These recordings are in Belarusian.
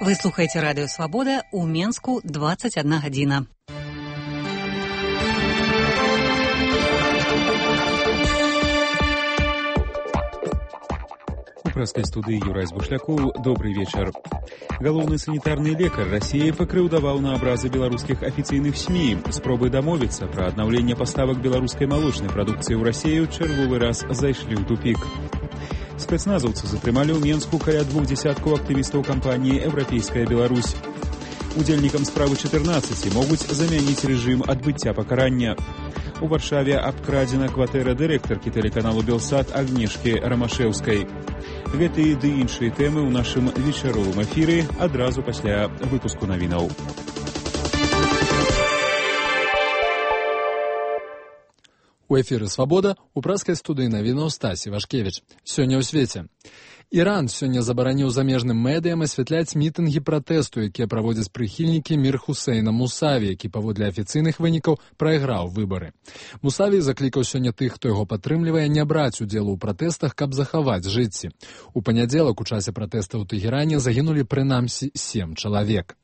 Вы слухаеце радыё Свабода, у Менску 21 гадзіна. У прэскай студыі Юрай Бушлякоў. Добрый вечар. Галоўны санітарны лекар Расіі пакрыўдаваў на абразы беларускіх афіцыйных СМІ. Спробы дамовіцца пра аднаўленне паставак беларускай малочнай прадукцыі ў Расію чарговы раз зайшлі ў тупік. Спецназаўцы затрымалі ў Менску каля 20 актывістаў кампаніі «Еўрапейская Беларусь». Удзельнікам справы 14 могуць замяніць рэжым адбыцця пакарання. У Варшаве абкрадзена кватэра дырэктаркі тэлеканалу «Белсат» Агнешкі Рамашэўскай. Гэтыя ды іншыя тэмы ў нашым вечаровым эфіры адразу пасля выпуску навінаў. У эфіры «Свабода» у прэскай студыі навінаў Стасі Вашкевіч. Сёння ў свеце. Іран сёння забараніў замежным медыям асвятляць мітынгі пратэсту, якія праводзяць прыхільнікі Мір Хусейна Мусаві, які паводле афіцыйных вынікаў прайграў выбары. Мусаві заклікаў сёння тых, хто яго падтрымлівае, не браць удзелу ў пратэстах, каб захаваць жыцці. У панядзелак у часе пратэстаў у Тэгеране загінулі прынамсі 7 чалавек.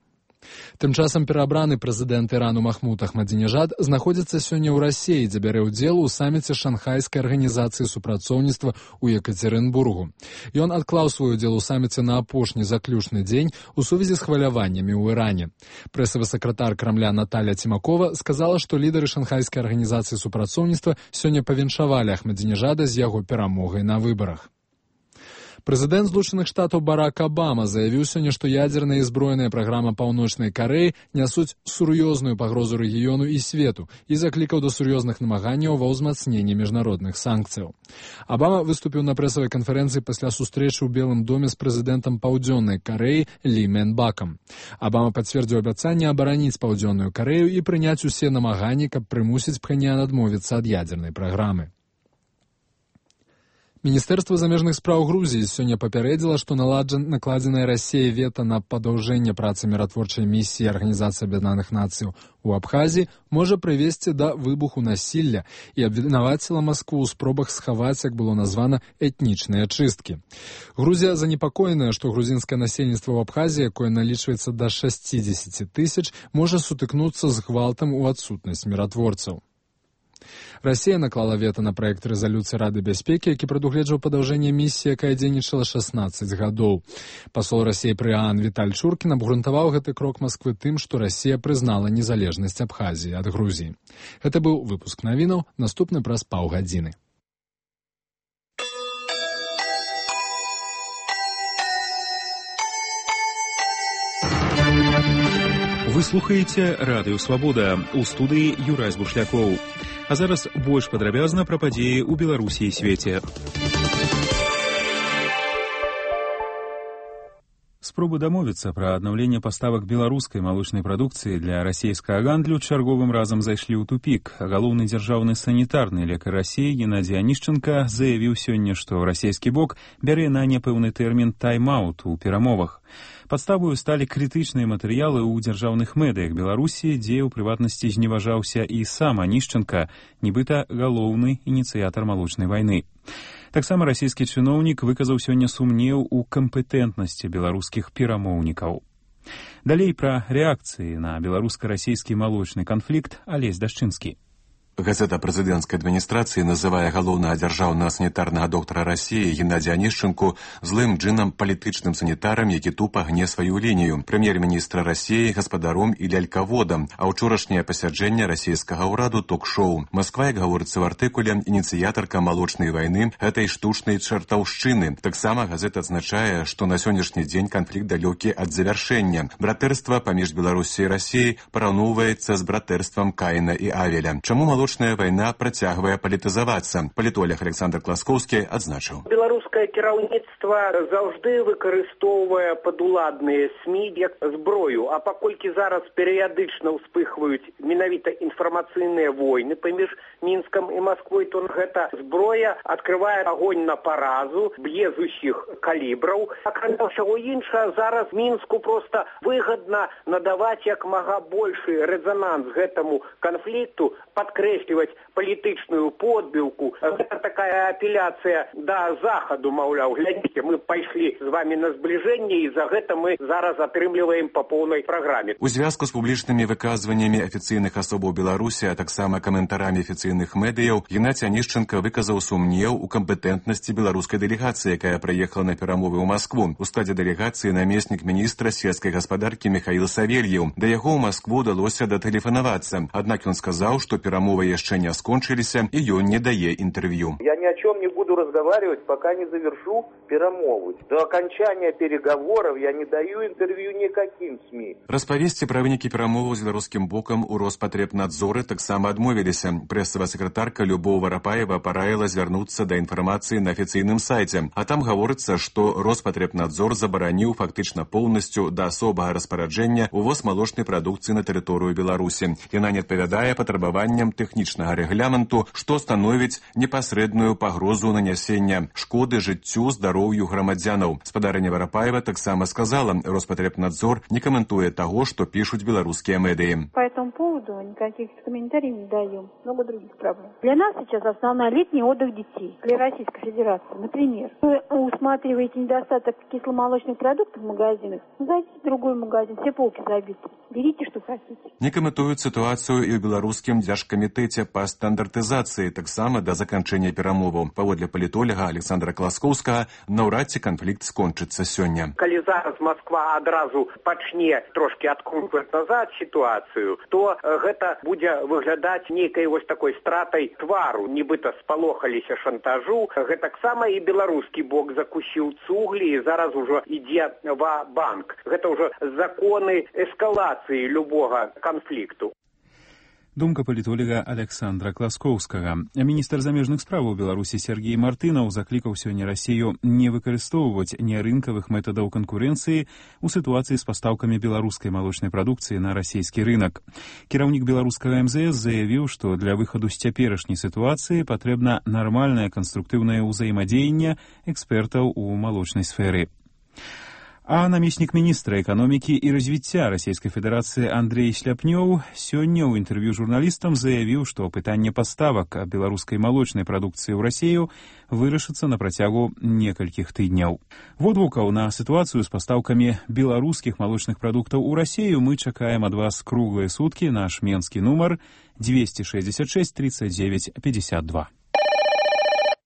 Тым часам пераабраны прэзідэнт Ірану Махмуд Ахмадзінежад знаходзіцца сёння ў Расіі, дзе бярэ ўдзел у саміце Шанхайскай арганізацыі супрацоўніцтва ў Екацерынбургу. Ён адклаў свой удзел у саміце на апошні заключны дзень у сувязі з хваляваннямі ў Іране. Прэсавы сакратар Крамля Наталья Цімакова сказала, што лідары Шанхайскай арганізацыі супрацоўніцтва сёння павіншавалі Ахмадзінежада з яго перамогай на выбарах. Прэзідэнт Злучаных Штатаў Барак Абама заявіў сёння, што ядзерная і збройная праграма Паўночнай Карэі нясуць сур'ёзную пагрозу рэгіёну і свету і заклікаў да сур'ёзных намаганняў ва ўзмацненні міжнародных санкцыяў. Абама выступіў на прэсавай канферэнцыі пасля сустрэчы ў Белым доме з прэзідэнтам Паўдзённай Карэі Лі Мэн-Бакам. Абама пацвердзіў абяцанне абараніць Паўдзённую Карэю і прыняць усе намаганні, каб прымусіць Пхеньян адмовіцца ад ядзернай праграмы. Міністэрства замежных спраў Грузіі сёння папярэдзіла, што накладзенае Расіяй вета на падаўжэнне працы міратворчай місіі Арганізацыі Аб'яднаных Нацыяў у Абхазіі можа прывесці да выбуху насілля і абвінаваціла Маскву ў спробах схаваць, як было названа, этнічныя чысткі. Грузія занепакоеная, што грузінскае насельніцтва ў Абхазіі, якое налічваецца да 60 тысяч, можа сутыкнуцца з гвалтам у адсутнасць міратворцаў. Расія наклала вета на праект рэзалюцыі Рады бяспекі, які прадугледжваў падаўжэнне місіі, якая дзейнічала 16 гадоў. Пасол Расіі пры ААН Віталь Чуркін абгрунтаваў гэты крок Масквы тым, што Расія прызнала незалежнасць Абхазіі ад Грузіі. Гэта быў выпуск навінаў, наступны праз паўгадзіны. Вы слухаеце радыё Свабода, у студыі Юрай Бушлякоў. А зараз больш падрабязна пра падзеі ў Беларусі і свеце. Спробы дамовіцца пра аднаўленне паставак беларускай малочнай прадукцыі для расійскага гандлю чарговым разам зайшлі ў тупік. Галоўны дзяржаўны санітарны лекар Расіі Геннадзій Анішчанка заявіў сёння, што расійскі бок бярэ на непэўны тэрмін тайм-аут у перамовах. Падставою сталі крытычныя матэрыялы ў дзяржаўных медыях Беларусі, дзе ў прыватнасці зневажаўся і сам Анішчанка, нібыта галоўны ініцыятар малочнай вайны. Таксама расійскі чыноўнік выказаў сёння сумнеў у кампетэнтнасці беларускіх перамоўнікаў. Далей пра рэакцыі на беларуска-расійскі малочны канфлікт Алесь Дашчынскі. Газета прэзідэнцкай адміністрацыі называе галоўнага дзяржаўнага санітарнага доктара Расіі Геннадзія Анішчанку злым джынам палітычным санітарам, які тупа гне сваю лінію, прэм'ер-міністра Расіі гаспадаром і лялькаводам, а ўчорашняе пасяджэнне расійскага ўраду ток-шоу. Масква, як гаворыцца в артыкуле, ініцыятарка малочнай вайны гэтай штучнай чартаўшчыны. Таксама газета адзначае, што на сённяшні дзень канфлікт далёкі ад завяршэння. Братэрства паміж Беларусі і Расіяй параўноўваецца з братэрствам Каіна і Авеля. Чаму малочная вайна працягвае палітызавацца? Палітолог Александр Класкоўскі адзначыў. Беларускае кіраўніцтва заўжды выкарыстоўвае падуладныя СМІ як зброю, а паколькі зараз перыядычна ўспыхваюць менавіта інфармацыйныя войны паміж Мінскам і Масквой, то гэта зброя адкрывае агонь на паразу, б'е з усіх калібраў. Акрамя ўсяго іншага, зараз Мінску проста выгадна надаваць як мага большы рэзананс гэтаму канфлікту, падкрэсліваць падкрэсліваць палітычную подбілку. Гэта такая апеляцыя да захаду, маўляў, глядзіце, мы пайшлі з вами на збліжэнне, і за гэта мы зараз атрымліваем па поўнай праграме. У звязку з публічнымі выказваннямі афіцыйных асобаў Беларусі, а таксама каментарамі афіцыйных медыяў, Геннадзь Анішченка выказаў сумнеў у кампетэнтнасці беларускай дэлегацыі, якая прыехала на перамовы ў Маскву. У складзе дэлегацыі намеснік міністра сельскай гаспадаркі Михаил Савельев. Да яго ў Маскву удалося датэлефанавацца. Аднак ён сказаў, што перамовы яшчэ не скончыліся, і ён не дае інтэрв'ю. Я ни о чем не буду разговаривать, пока не завершу перемовы. До окончания переговоров я не даю интервью никаким СМИ. Распавесці пра вынікі перамоваў з беларускім бокам у Роспатребнадзоры таксама адмовіліся. Прэсавая сакратарка Любоў Варапаева параіла звярнуцца да інфармацыі на афіцыйным сайце. А там гаворыцца, што Роспатребнадзор забараніў фактычна поўнасцю да асобага распараджэння увоз малочнай прадукцыі на тэрыторыю Беларусі. Яна не адпавядае патрабаванням тэхнічнага рэгламенту, што становіць непасрэдную пагрозу нанясення шкоды жыццю, здароўю грамадзянаў. Спадарыня Варапаева таксама сказала, Роспотребнадзор не комментует того, что пишут белорусские медии. По этому поводу никаких комментариев не даем. Много других проблем. Для нас сейчас основной летний отдых детей. Для Российской Федерации, например, вы усматриваете недостаток кисломолочных продуктов в магазинах, зайдите в другой магазин, все полки забиты. Берите, что хотите. Не комментуют ситуацию и в белорусском Дзяржкамітэце по стандартизации, так само до заканчэння перамоваў. Паводле палітолага Александра Класкоўскага, наўрад ці канфлікт скончыцца сёння. Калі зараз Москва адразу пачне трошки адкручваць назад ситуацию, то гэта будзе выглядаць нейкай вось такой стратай твару, нібыта спалохаліся шантажу. Гэтаксама і беларускі бок закусіў цуглі, і зараз ужо ідзе ва-банк. Гэта ўжо законы эскалацыі любога канфлікту. Думка палітолога Александра Класкоўскага. Міністр замежных справаў Беларусі Сергей Мартынаў заклікаў сёння Расію не выкарыстоўваць нерынкавых метадаў канкурэнцыі ў сітуацыі з пастаўкамі беларускай малочнай прадукцыі на расійскі рынак. Кіраўнік беларускага МЗС заявіў, што для выхаду з цяперашняй сітуацыі патрэбна нармальнае канструктыўнае ўзаемадзеянне экспертаў у малочнай сферы. А намеснік міністра эканомікі і развіцця Расійскай Федэрацыі Андрей Шляпнёў сёння ў інтэрв'ю журналістам заявіў, што пытанне паставак беларускай малочнай прадукцыі ў Расію вырашыцца на працягу некалькіх тыдняў. Водгукаў на сітуацыю з пастаўкамі беларускіх малочных прадуктаў у Расію мы чакаем ад вас круглыя суткі. Наш менскі нумар 266 39 52.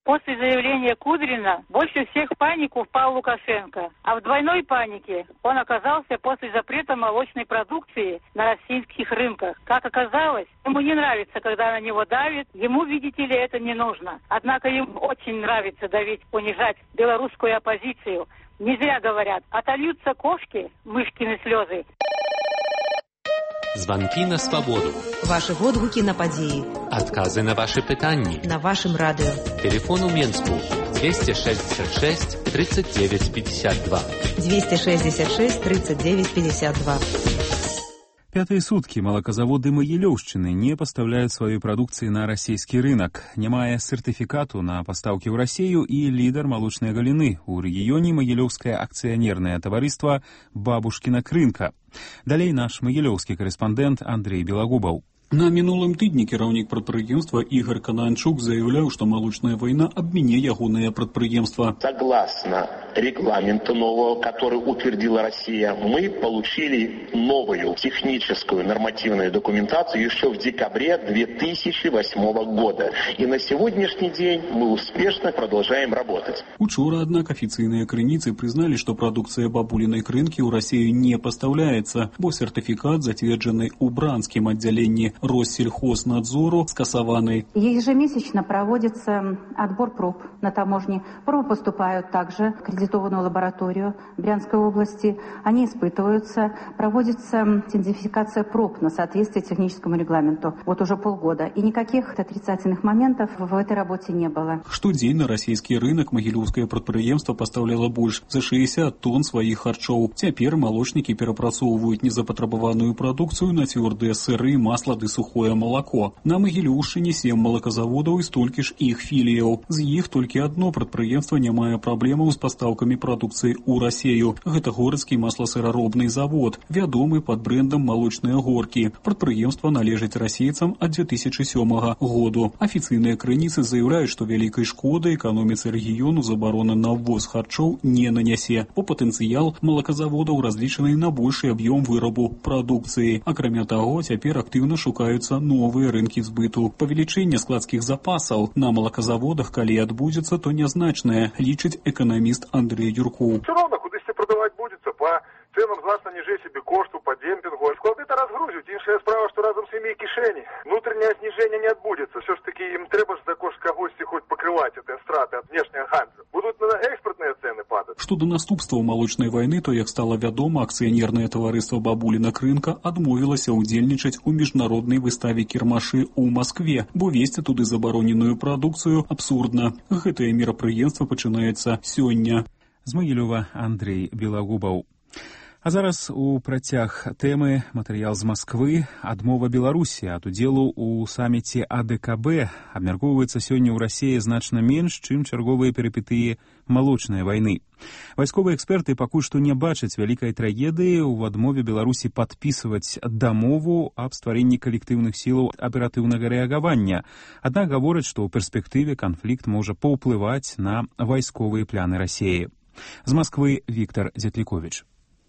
После заявления Кудрина больше всех в панику впал Лукашенко. А в двойной панике он оказался после запрета молочной продукции на российских рынках. Как оказалось, ему не нравится, когда на него давят. Ему, видите ли, это не нужно. Однако ему очень нравится давить, унижать белорусскую оппозицию. Не зря говорят, отольются кошки, мышкины слезы. Звонки на свободу. Ваши водгуки на падзеі. Адказы на ваши пытанні. На вашым радыё. Телефон у Менску 266 39 52. 266 39 52. Пятые сутки молокозаводы Магілёўшчыны не поставляют своей продукции на российский рынок. Не мая сертификату на поставки в Россию и лидер молочной галины у регионе Магілёўскае акционерное товариство «Бабушкина крынка». Далей наш магілёўскі корреспондент Андрей Белогубов. На мінулым тыдні кіраўнік прадпрыемства Игорь Кананчук заявляў, што малочная война абміне ягонае прадпрыемства. Согласно регламенту нового, который утвердила Россия, мы получили новую техническую нормативную документацию еще в декабре 2008 года. И на сегодняшний день мы успешно продолжаем работать. Учора, однако, официальные крыніцы признали, что продукция бабулиной крынки у России не поставляется, бо сертификат, затвердженный у Бранским отделении Россельхознадзору, скасованы. Ежемесячно проводится отбор проб на таможне. Пробы поступают также в аккредитованную лабораторию Брянской области. Они испытываются. Проводится идентификация проб на соответствие техническому регламенту. Вот уже полгода. И никаких отрицательных моментов в этой работе не было. Штодзень на российский рынок магілёўскае прадпрыемства поставляло больше за 60 тонн своих харчоў. Цяпер молочники перапрацоўваюць незапатрабаваную продукцию на твердые сыры, масло ды сухое молоко. На Магілёўшчыне 7 молокозаводаў і столькі ж іх філіяў. З іх толькі одно прадпрыемства не мае праблемаў з пастаўкамі пастаўкамі прадукцыі ў Расею. Гэта горацкі масласыраробны завод, вядомы пад брэндам «Малочныя горкі». Прадпрыемства належыць расейцам ад 2007 году. Афіцыйныя крыніцы заяўляюць, што вялікай шкоды эканоміцы рэгіёну забарона на ввоз харчоў не нанясе, бо патэнцыял малаказаводаў разлічаны на большы аб'ём вырабу прадукцыі. Акрамя таго, цяпер актыўна шукаюцца новыя рынкі збыту. Павелічэнне складскіх запасаў на малаказаводах, калі адбудзецца, то нязначнае, лічыць эканаміст Андрей Юркоў. Все равно, кудысьці прадаваць будзецца па ценам значна ніжэй себе кошту, по демпингу. Склады-то разгрузят. Іншая справа, что разом с ими и кишени. Внутреннее снижение не отбудется. Все ж таки им треба ж за кошт когось хоть покрывать эти страты от внешнего ганза. Будут на экспортные цены падать. Што да наступстваў малочнай вайны, то, як стала вядома, акцыянернае таварыства «Бабулінак рынка» адмовілася ўдзельнічаць у міжнароднай выставе кірмашы ў Маскве, бо весці туды забароненую прадукцыю абсурдна. Гэтае мерапрыемства пачынаецца сёння. З Магілёва Андрей Белагубаў. А зараз у працяг тэмы матэрыял з Масквы. Адмова Беларусі ад удзелу ў саміце АДКБ абмяркоўваецца сёння ў Расіі значна менш, чым чарговыя перыпетыі малочнай вайны. Вайсковыя эксперты пакуль што не бачаць вялікай трагедыі ў адмове Беларусі падпісваць дамову аб стварэнні калектыўных сілаў аператыўнага рэагавання. Аднак гавораць, што ў перспектыве канфлікт можа паўплываць на вайсковыя пляны Расіі. З Масквы Віктор Дзятліковіч.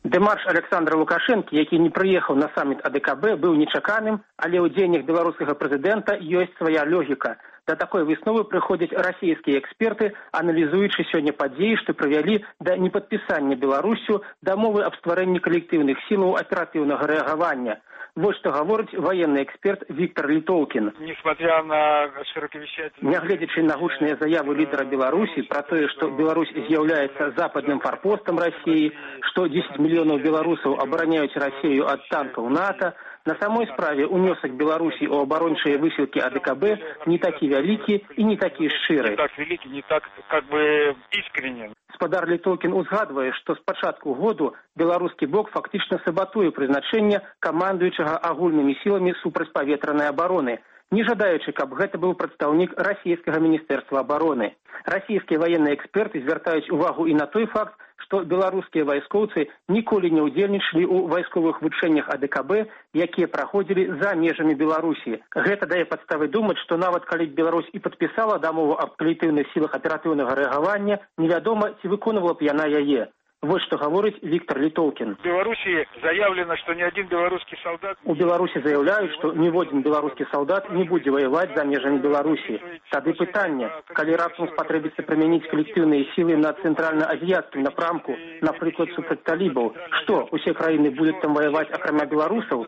Дэмарш Александра Лукашэнкі, які не прыехаў на саміт АДКБ, быў нечаканым, але ў дзеяннях беларускага прэзідэнта ёсць свая логіка. Да такой высновы прыходзяць расійскія эксперты, аналізуючы сёння падзеі, што прывялі да непадпісання Беларусю дамовы аб стварэнні калектыўных сілаў аператыўнага рэагавання. Вот что говорит военный эксперт Виктор Литолкин. Несмотря на широковещательные... Нягледзячы на гучныя заявы лидера Беларуси про то, что Беларусь является западным форпостом России, что 10 миллионов белорусов обороняют Россию от танков НАТО, на самой справе унесок Беларуси у оборончыя высілкі АДКБ не такі вялікі і не такі шчыры. Не так великий, не так как бы искренен. Спадар Литолкин узгадывае, што з пачатку году беларускі бок фактычна сабатуе прызначэнне камандуючага агульнымі сіламі супрацьпаветранай абароны, не жадаючы, каб гэта быў прадстаўнік расійскага міністэрства абароны. Расійскія военныя эксперты звяртаюць увагу і на той факт, што беларускія вайскоўцы ніколі не ўдзельнічалі ў вайсковых вучэннях АДКБ, якія праходзілі за межамі Беларусі. Гэта дае падставы думаць, што нават калі Беларусь і падпісала дамову аб калектыўных сілах аператыўнага рэагавання, невядома, ці выконвала б яна яе. Вот что говорит Виктор Литолкин. В Беларуси заявлено, что ни один белорусский солдат... У Беларуси заявляют, что ни один белорусский солдат не будет воевать за межами Беларуси. Тады пытанне, калі раптам спатрэбіцца прымяніць калектыўныя сілы на цэнтральна-азіяцкім напрамку, напрыклад, супраць талібаў, што, усе краіны будуць там воевать акрамя беларусаў?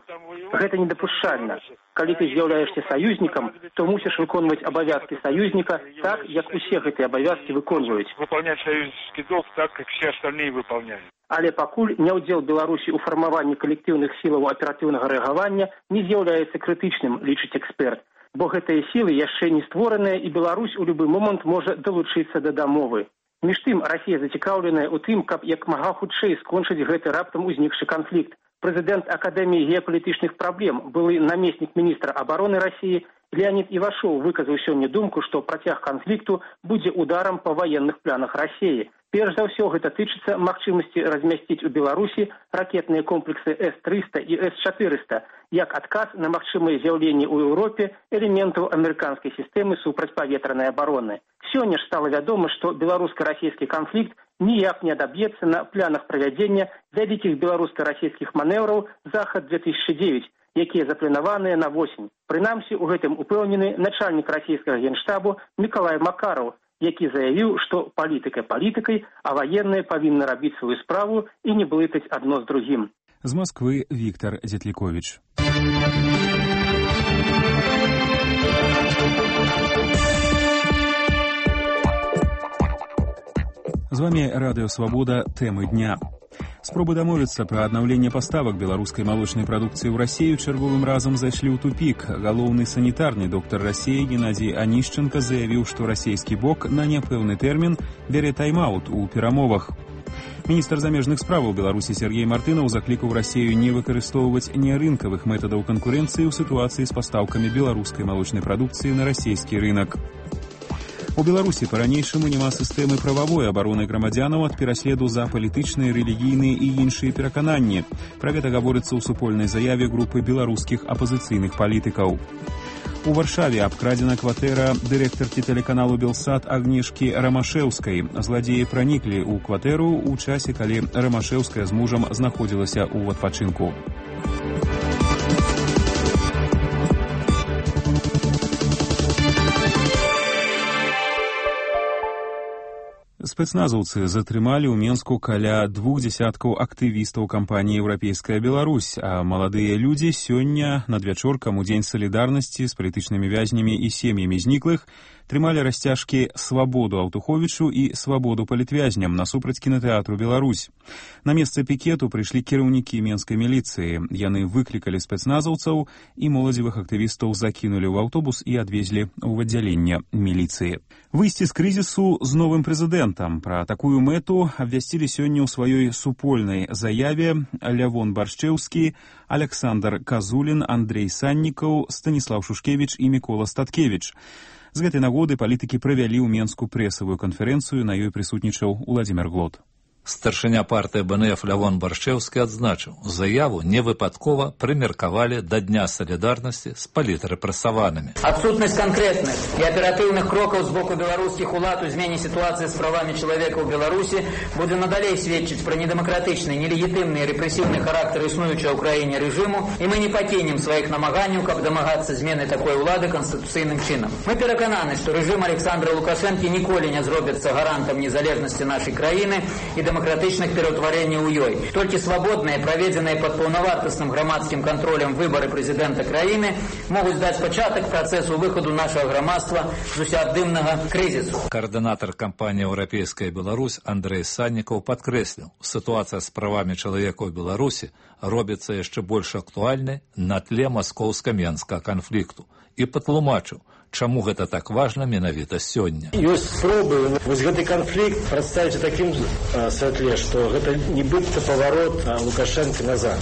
Гэта недапушчальна. Калі ты з'яўляешься саюзнікам, то мусіш выконваць абавязкі саюзніка так, як усе гэтыя абавязкі выконваюць. Выполнять саюзнический долг так, как все остальные выполняют. Але пакуль няўдзел Беларусі ў фармаванні калектыўных сілаў аператыўнага рэагавання не з'яўляецца крытычным, лічыць эксперт. Бо гэтыя сілы яшчэ не створаныя, і Беларусь у любы момант можа далучыцца да дамовы. Між тым, Расія зацікаўленая ў тым, каб як мага хутчэй скончыць гэты раптам узнікшы канфлікт. Президент Академии геополитичных проблем, былы наместник министра обороны России Леонид Ивашов выказаў сёння думку, што працяг канфлікту будзе ударам па военных планах России. Перш за ўсё гэта тычыцца магчымасці размясціць у Беларусі ракетныя комплексы С-300 і С-400, як адказ на магчымае з'яўленне ў Еўропе элементаў амерыканскай сістэмы супрацьпаветранай абароны. Сёння ж стала вядома, што беларуска-расійскі канфлікт ніяк не адаб'ецца на планах правядзення вялікіх беларуска-расійскіх манеўраў «Захад-2009», якія запланаваныя на восень. Прынамсі, у гэтым упэўнены начальнік расійскага генштабу Мікалай Макараў, які заявіў, што палітыка палітыкай, а ваенныя павінны рабіць сваю справу і не блытаць адно з другім. З Масквы Віктор Дзятліковіч. З вами Радыё Свабода. Тэмы дня. Спробы дамовіцца пра аднаўленне паставак беларускай малочнай прадукцыі ў Расію чарговым разам зайшлі ў тупік. Галоўны санітарны доктар Расіі Геннадзій Анішченка заявіў, што расійскі бок на няпэўны тэрмін бярэ тайм-аут у перамовах. Міністр замежных справаў Беларусі Сергей Мартынаў заклікаў Расію не выкарыстоўваць нерынкавых метадаў канкурэнцыі ў сітуацыі з пастаўкамі беларускай малочнай прадукцыі на расійскі рынак. У Беларусі па-ранейшаму няма сістэмы прававой абароны грамадзянаў ад пераследу за палітычныя, рэлігійныя і іншыя перакананні. Пра гэта гаворыцца ў супольнай заяве групы беларускіх апазіцыйных палітыкаў. У Варшаве абкрадзена кватэра дырэктаркі тэлеканалу «Белсат» Агнешкі Рамашэўскай. Зладзеі праніклі ў кватэру ў часе, калі Рамашэўская з мужам знаходзілася ў адпачынку. Спецназаўцы затрымалі ў Менску каля 20 актывістаў кампаніі «Еўрапейская Беларусь», а маладыя людзі сёння надвячоркам у Дзень салідарнасці з палітычнымі вязнямі і сем'ямі зніклых трымалі расцяжкі «Свабоду Аўтуховічу» і «Свабоду палітвязням» насупраць кінатэатру «Беларусь». На месца пікету прыйшлі кіраўнікі менскай міліцыі. Яны выклікалі спецназаўцаў і моладзевых актывістаў закінулі ў аўтобус і адвезлі ў аддзяленне міліцыі. Выйсці з крызісу з новым прэзідэнтам. Пра такую мэту абвясцілі сёння ў сваёй супольнай заяве Лявон Баршчэўскі, Александр Казулін, Андрей Саннікаў, Станіслаў Шушкевіч і Мікола Статкевіч. З гэтай нагоды палітыкі правялі ў Менску прэсавую канферэнцыю, на ёй прысутнічаў Уладзімир Глот. Старшыня партыі БНФ Лявон Баршчэўскі адзначыў, заяву невыпадкова прымеркавалі да Дня салідарнасці з палітрэпрэсаванымі. Адсутнасць канкрэтных і аператыўных крокаў з боку беларускіх улад у змене сітуацыі з правамі чалавека ў Беларусі будзе надалей сведчыць пра недэмакратычны, нелегітымны і рэпрэсіўны характар існуючага ў краіне рэжыму, і мы не пакінем сваіх намаганняў, каб дамагацца змены такой улады канстытуцыйным чынам. Мы перакананы, што рэжым Александра Лукашэнкі ніколі не зробіцца гарантам незалежнасці нашай краіны і демократичных пераўтварэнняў у ёй. Толькі свабодныя, праведзеныя пад паўнавартасным грамадскім кантролем выбары прэзідэнта краіны могуць даць пачатак працэсу выхаду нашага грамадства з усеабдымнага крызісу. Координатор кампаніі «Еўрапейская Беларусь» Андрей Саннікаў падкрэсліў, сітуацыя з правамі чалавека ў Беларусі робіцца яшчэ больш актуальнай на тле маскоўска-менскага канфлікту і патлумачыў, чаму гэта так важна менавіта сёння. Ёсць спробы вось гэты канфлікт прадставіць у такім святле, што гэта нібыта паварот Лукашэнка назад.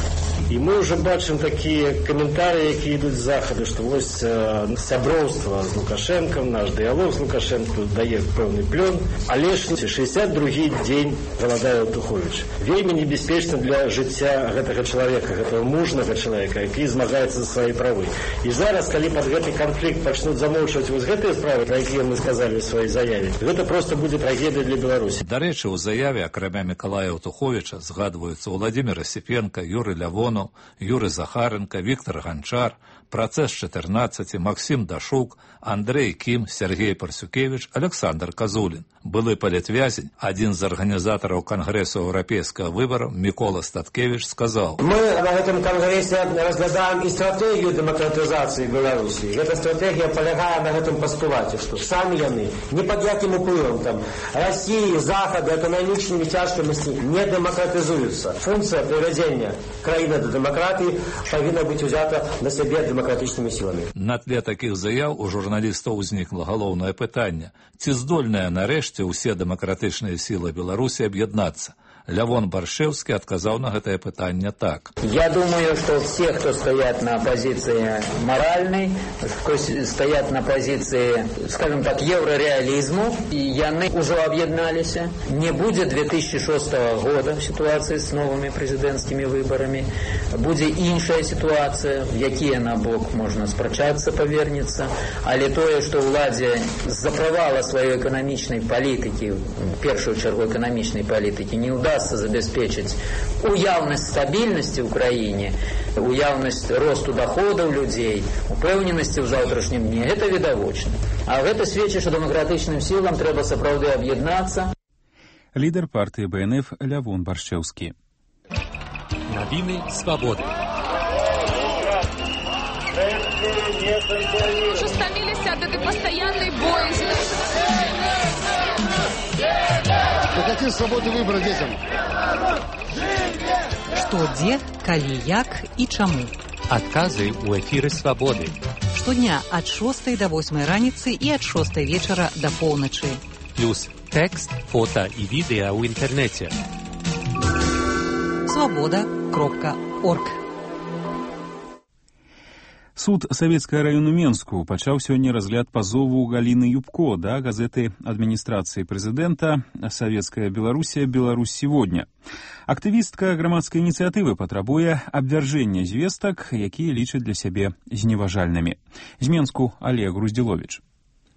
І мы ўжо бачым такія каментарыі, якія ідуць з захаду, што вось сяброўства з Лукашэнкам, наш дыялог з Лукашэнкам дае пэўны плён, але ж 62-й дзень галадае Аўтуховіч. Вельмі небяспечна для жыцця гэтага чалавека, гэтага мужнага чалавека, які змагаецца за свае правы. І зараз, калі пад гэты канфлікт пачнуць замоўчваць вось гэтыя справы, пра якія мы сказалі ў сваёй заяве, гэта проста будзе трагедыя для Беларусі. Дарэчы, у заяве акрамя Мікалая Аўтуховіча згадваюцца Уладзімир Асіпенка, Юрый Лявонаў, Юрий Захаренко, Віктор Ганчар, Працэс 14, Максим Дашук, Андрей Кім, Сергей Парсюкевич, Александр Казулін. Былы палітвязень, адзін з арганізатараў Кангрэсу еўрапейскага выбараў Мікола Статкевич сказаў: Мы на гэтым кангрэсе разглядаем і стратэгію дэмакратызацыі Беларусі. Гэта стратэгія палягае на гэтым пастулаце, што самі яны не пад якім уплывам там Расіі, Захаду, эканамічнымі цяжкасцямі не дэмакратызуюцца. Функцыя прывядзення краіны да дэмакратыі павінна быць узята на сябе дэмакратычнымі сіламі. На тле такіх заяў у журналістаў узнікла галоўнае пытанне: ці здольныя нарэшце усе дэмакратычныя сілы Беларусі аб'яднацца? Лявон Баршчэўскі отказал на это пытание так. Я думаю, что все, кто стоят на позиции моральной, кто стоят на позиции, скажем так, еврореализму, и яны уже объединались. Не будет 2006 года в ситуации с новыми президентскими выборами. Будет іншая ситуация, в якія на бок можно спрачаться, повернется. Але тое, что уладзе з-за провала своей экономичной политики, в первую чергу экономичной политики, не удастся забеспечить уявность стабильности в Украине, уявность росту доходов людей, упевненості в завтрашнім дні, это відавочно. А гэта сведчыць, што дэмакратычным сілам трэба сапраўды аб'яднацца. Лідер партии БНФ Лявон Баршчэўскі. Новины свободы. Уже стомились от этой постоянной боязни. Какие свободы выбора детям? Што, дзе, калі, як і чаму. Адказы ў эфіры свабоды. Штодня ад 6 до 8 раніцы і ад 6 вечара до поўначы. Плюс тэкст, фота і відэа ў інтэрнэце. Свобода.орг Суд Савецкага району Менску пачаў сёння разгляд пазову Галіны Юбко да газеты адміністрацыі прэзідэнта «Советская Белоруссия. Беларусь сегодня». Актывістка грамадскай ініцыятывы патрабуе абвяржэння звестак, якія лічаць для сябе зневажальнымі. З Менску Олег Груздзіловіч.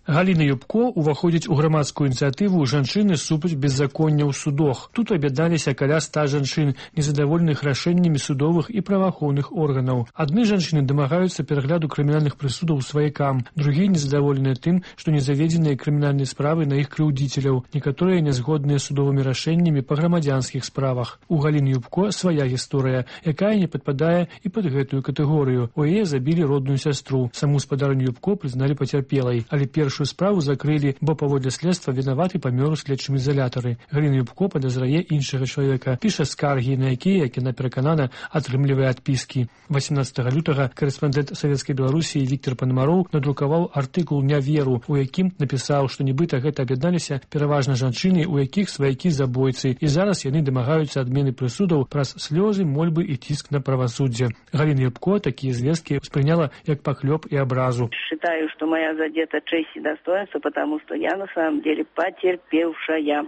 Галіна Юбко уваходзіць у грамадскую ініцыятыву жанчыны супраць беззаконня ў судах. Тут аб'ядналіся каля 100 жанчын, незадаволеных рашэннямі судовых і праваахоўных органаў. Адны жанчыны дамагаюцца перагляду крымінальных прысудаў сваякам, другія незадаволеныя тым, што не заведзеныя крымінальныя справы на іх крыўдзіцеляў, некаторыя нязгодныя судовымі рашэннямі па грамадзянскіх справах. У Галіны Юбко свая гісторыя, якая не падпадае і пад гэтую катэгорыю. У яе забілі родную сястру. Саму спадарню Юбко прызналі пацярпелай, але першую справу закрылі, бо паводле следства вінаваты памёр у следчым изолятары. Галіна Юбко падазрае іншага чалавека, піша скаргі, на якія, як яна пераканана, атрымлівае адпіскі. 18 лютага корэспандэнт Савецкай Беларусі Віктор Панамароў надрукаваў артыкул «Не веру», у якім напісаў, што нібыта гэта аб'ядналіся пераважна жанчыны, у якіх сваякі забойцы, і зараз яны дамагаюцца адмены прысудаў праз слёзы, мольбы і ціск на правасуддзе. Галіна Юбко такія звесткі ўспрыняла як паклёп і абразу. Считаю, что моя задета честь и достоинство, потому что я на самом деле потерпевшая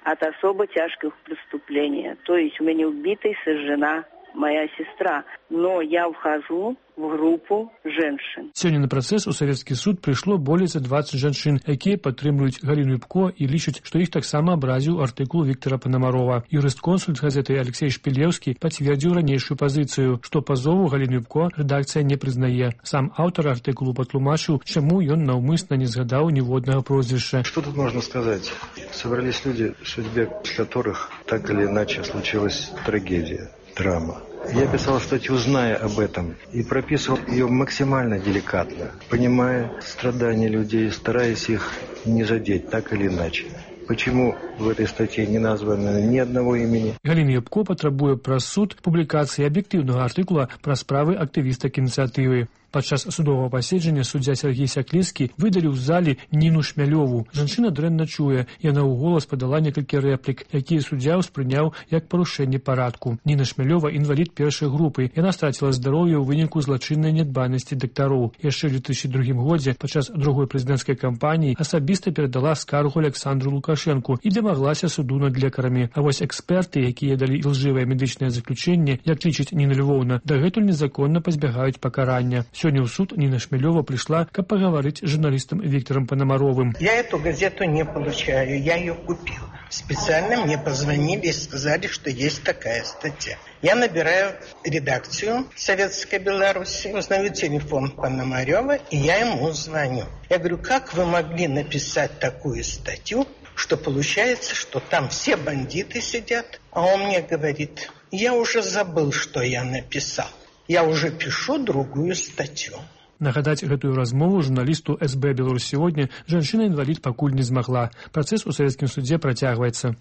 от особо тяжких преступлений. То есть у меня убита и сожжена моя сестра. Но я вхожу в группу женщин. Сёння на працэс у савецкі суд прыйшло болей за 20 жанчын, якія падтрымліваюць Галіну Юбко і лічаць, што іх таксама абразіў артыкул Віктора Панамарова. Юрыст-консульт газеты Алексей Шпілеўскі пацвердзіў ранейшую пазіцыю, што пазову Галіны Юбко рэдакцыя не прызнае. Сам аўтар артыкулу патлумачыў, чаму ён наўмысна не згадаў ніводнага прозвішча. Что тут можно сказать? Собрались люди, в судьбе которых так или иначе случилась трагедия, драма. Я писал статью, зная об этом, и прописывал ее максимально деликатно, понимая страдания людей, стараясь их не задеть так или иначе. Почему в этой статье не названо ни одного имени? Галіна Юбко патрабуе праз суд публікацыі аб'ектыўнага артыкула пра справы актывістак ініцыятывы. Падчас судовага паседжання суддзя Сергей Сякліцкі выдаліў з залі Ніну Шмялёву. Жанчына дрэнна чуе, яна ў голас падала некалькі рэплік, якія суддзя ўспрыняў як парушэнне парадку. Ніна Шмялёва інвалід першай групы. Яна страціла здароўе ў выніку злачыннай нядбайнасці дактароў. Яшчэ ў 2002 годзе падчас другой прэзідэнцкай кампаніі асабіста перадала скаргу Александру Лукашэнку і дамаглася суду над лекарамі. А вось эксперты, якія далі ілжывае медычнае заключэнне, як лічыць Ніна Львовна, дагэтуль незаконна пазбягаюць пакарання. Сегодня в суд Нина Шмелева пришла, как поговорить с журналистом Виктором Пономаровым. Я эту газету не получаю, я ее купил. Специально мне позвонили и сказали, что есть такая статья. Я набираю редакцию Советской Беларуси, узнаю телефон Пономарева, и я ему звоню. Я говорю, как вы могли написать такую статью, что получается, что там все бандиты сидят? А он мне говорит, я уже забыл, что я написал. Я уже пишу другую статью. Нагадаць гэтую размову журналісту СБ «Беларусь сегодня» жанчына-інвалід пакуль не змагла. Працэс у савецкім судзе працягваецца.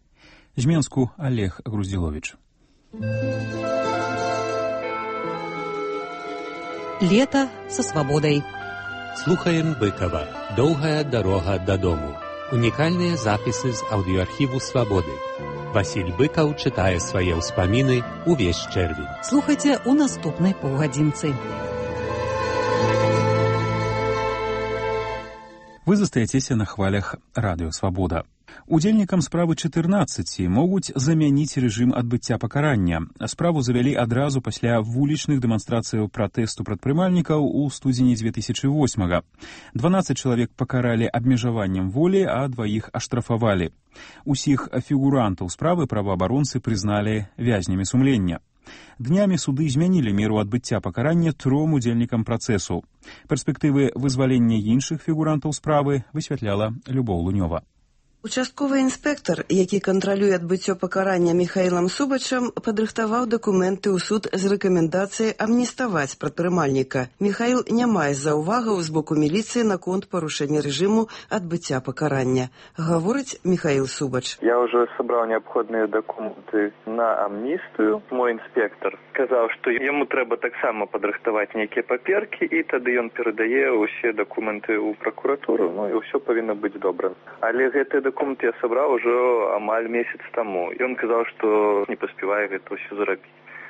З Менску Олег Груздзіловіч. Лето со свободой. Слухаем Быкова. Доўгая дарога дадому. Унікальныя запісы з аўдыоархіву «Свабоды». Васіль Быкаў чытае свае ўспаміны увесь чэрвень. Слухайце у наступнай паўгадзінцы. Вы застаецеся на хвалях радыё «Свабода». Удзельнікам справы 14 могуць замяніць рэжым адбыцця пакарання. Справу завялі адразу пасля вулічных дэманстрацыяў пратэсту прадпрымальнікаў у студзені 2008-га. 12 чалавек пакаралі абмежаваннем волі, а 2 аштрафавалі. Усіх фігурантаў справы праваабаронцы прызналі вязнямі сумлення. Днямі суды змянілі меру адбыцця пакарання 3 удзельнікам працэсу. Перспектывы вызвалення іншых фігурантаў справы высвятляла Любоў Лунёва. Участковый інспектор, які кантралюе адбыццё пакарання Міхаілам Субачам, падрыхтаваў дакументы ў суд з рэкамендацыяй амніставаць прадпрымальніка. Міхаіл не мае заўвагаў з боку міліцыі наконт парушэння рэжыму адбыцця пакарання. Гаворыць Міхаіл Субач. Я уже собрал необходные документы на амністыю. Мой інспектор сказаў, што яму трэба таксама падрыхтаваць нейкія паперкі, і тады ён перадае ўсе дакументы ў пракуратуру, ну і ўсё павінна быць добра. Але гэты документ я собрал уже амаль месяц тому. И он сказал, что не поспевает это все зарабить.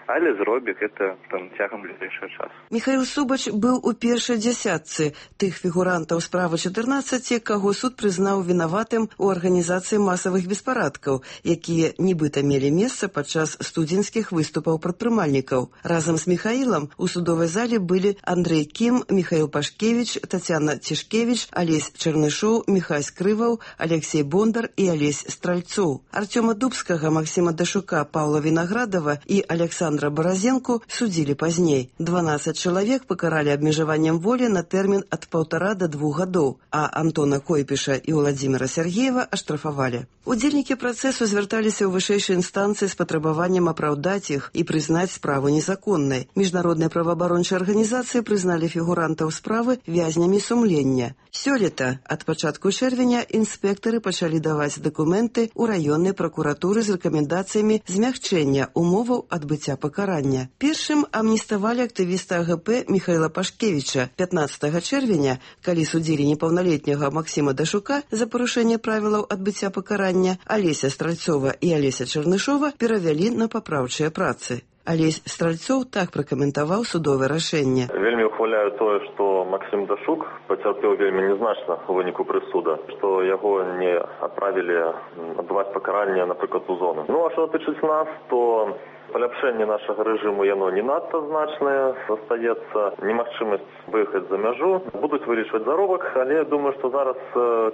але зробіць гэта цягам бліжэйшага часу. Міхаіл Субач быў у першай дзясятцы тых фігурантаў справы 14, каго суд прызнаў вінаватым у арганізацыі масавых беспарадкаў, якія нібыта мелі месца падчас студзеньскіх выступаў прадпрымальнікаў. Разам з Міхаілам у судовай зале былі Андрэй Кім, Міхаіл Пашкевіч, Тацяна Цішкевіч, Алесь Чарнышоў, Міхась Крываў, Алексей Бондар і Алесь Стральцоў. Артёма Дубскага, Максима Дашука, Паўла Вінаградова і Александра Баразенку судзілі пазней. 12 чалавек пакаралі абмежаваннем волі на тэрмін ад 1,5 до 2 гадоў, а Антона Койпіша і Владзіміра Сергеева аштрафавалі. Удзельнікі працэсу звярталіся ў вышэйшай інстанцыі з патрабаваннем апраўдаць іх і прызнаць справу незаконнай. Міжнародныя праваабарончыя арганізацыі прызналі фігурантаў справы вязнямі сумлення. Сёлета, ад пачатку чэрвеня, інспектары пачалі даваць дакументы ў раённай пракуратуры з рэкамендацыямі змягчэння умоваў адбыцця пакарання. Першым амніставалі актывіста АГП Міхаіла Пашкевіча. 15 чэрвеня, калі судзілі непаўналетняга Максима Дашука за парушэнне правілаў адбыцця пакарання, Алеся Стральцова і Алеся Чарнышова перавялі на папраўчыя працы. Алесь Стральцоў так пракаментаваў судовае рашэнне. Вельмі ухваляю тое, што Максим Дашук пацярпеў вельмі нязначна ў выніку прысуда, што яго не адправілі адбываць пакаранне, напрыклад, у зону. А што датычыць нас, то паляпшэнне нашага рэжыму яно не надта значнае, застаецца немагчымасць выехаць за мяжу, будуць вылічваць заробак, але я думаю, што зараз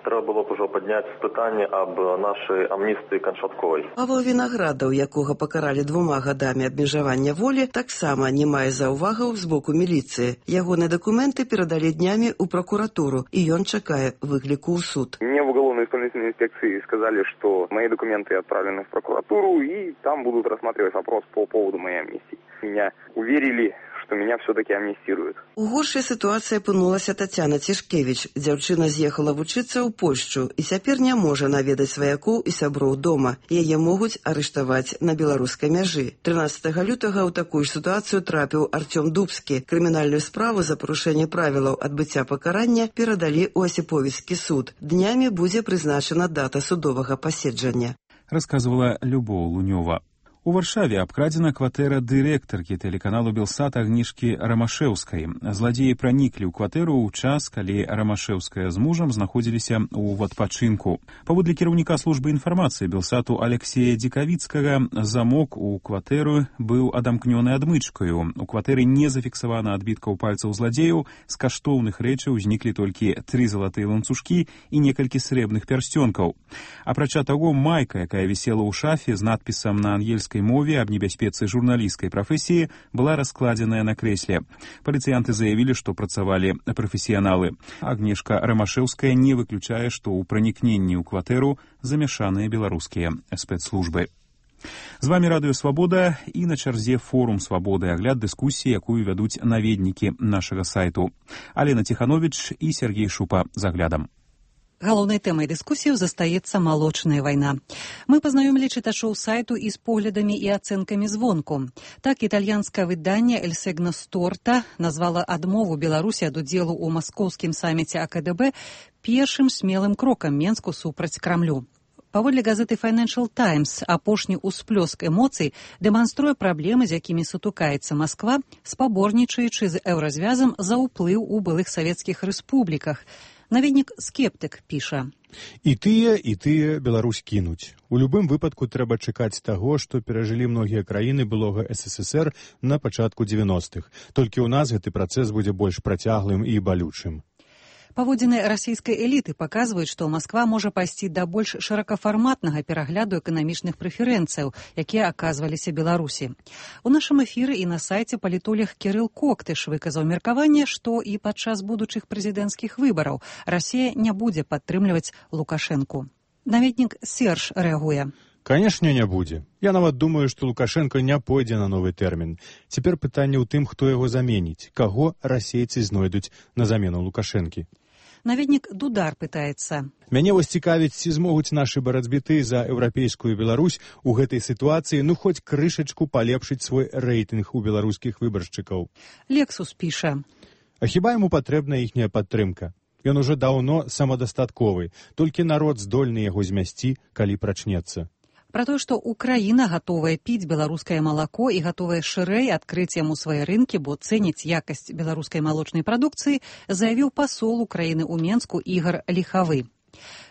трэба было б ужо падняць пытанне аб нашай амністыі канчатковай. Павел Вінаградаў, якога пакаралі 2 гадамі абмежавання волі, таксама не мае заўвагаў з боку міліцыі. Ягоныя дакументы перадалі днямі ў прокуратуру, і ён чакае выкліку ў суд. Мне в уголовно-исполнительной инспекции сказали, что мои документы отправлены в прокуратуру, и там будут рассматривать вопрос по поводу моей амнистии. Меня уверили, что меня все-таки амнистируют. У горшай сітуацыі апынулася Тацяна Цішкевіч. Дзяўчына з'ехала вучыцца ў Польшчу і цяпер не можа наведаць сваякоў і сяброў дома. Яе могуць арыштаваць на беларускай мяжы. 13 лютага ў такую ж сітуацыю трапіў Артём Дубскі. Крымінальную справу за парушэнне правілаў адбыцця пакарання перадалі ў Асіповіцкі суд. Днямі будзе прызначана дата судовага паседжання. Расказвала Любоў Лунёва. У Варшаве абкрадзена кватэра дырэктаркі тэлеканалу Белсат Агнішкі Рамашэўскай. Зладзеі праніклі ў кватэру ў час, калі Рамашэўская з мужам знаходзіліся ў адпачынку. Паводле кіраўніка службы інфармацыі Белсату Алексея Дзікавіцкага, замок у кватэру быў адамкнёны адмычкаю. У кватэры не зафіксавана адбіткаў пальцаў зладзеяў, з каштоўных рэчаў узніклі толькі 3 залатыя ланцужкі і некалькі срэбных пярсцёнкаў. Апрача таго, майка, якая вісела ў шафе з надпісам на ангельскай мове аб небяспецы журналісцкай прафесіі, была раскладзеная на крэсле. Паліцыянты заявілі, што працавалі прафесіяналы. Агнешка Рамашэўская не выключае, што ў пранікненні ў кватэру замяшаныя беларускія спецслужбы. З вамі Радыё Свабода і на чарзе форум Свабоды, агляд дыскусіі, якую вядуць наведнікі нашага сайту. Алена Ціхановіч і Сергей Шупа з аглядам. Галоўнай тэмай дыскусіяў застаецца малочная вайна. Мы пазнаёмілі чытачоў сайту і з поглядамі і ацэнкамі звонку. Так, італьянскае выданне «El Segno Storta» назвала адмову Беларусі ад удзелу ў маскоўскім саміце АКДБ першым смелым крокам Менску супраць Крамлю. Паводле газеты Financial Times, апошні ўсплёск эмоцый дэманструе праблемы, з якімі сутыкаецца Масква, спаборнічаючы з еўразвязам за ўплыў у былых савецкіх рэспубліках. Наведнік-скептык піша. І тыя Беларусь кінуць. У любым выпадку трэба чакаць таго, што перажылі многія краіны былога СССР на пачатку 90-х. Толькі ў нас гэты працэс будзе больш працяглым і балючым. Паводзіны расійскай эліты паказваюць, што Масква можа пайсці да больш шырокафарматнага перагляду эканамічных прэферэнцыяў, якія аказваліся Беларусі. У нашым эфіры і на сайце палітолог Кірыл Коктыш выказаў меркаванне, што і падчас будучых прэзідэнцкіх выбараў Расія не будзе падтрымліваць Лукашэнку. Наведнік Серж рэагуе. Канешне, не будзе. Я нават думаю, што Лукашенко не пойдзе на новы тэрмін. Цяпер пытанне ў тым, хто яго заменіць, каго расейцы знойдуць на замену Лукашэнкі. Наведнік Дудар пытаецца. Мяне вось цікавіць, ці змогуць нашы барацьбіты за еўрапейскую Беларусь у гэтай сітуацыі хоць крышачку палепшыць свой рэйтынг у беларускіх выбаршчыкаў. Лексус піша. А хіба яму патрэбна іхняя падтрымка? Ён ужо даўно самадастатковы, толькі народ здольны яго змясці, калі прачнецца. Пра тое, што Украіна гатовая піць беларускае малако і гатовая шырэй адкрыць яму свае рынкі, бо цэніць якасць беларускай малочнай прадукцыі, заявіў пасол Украіны ў Менску Ігор Ліхавы.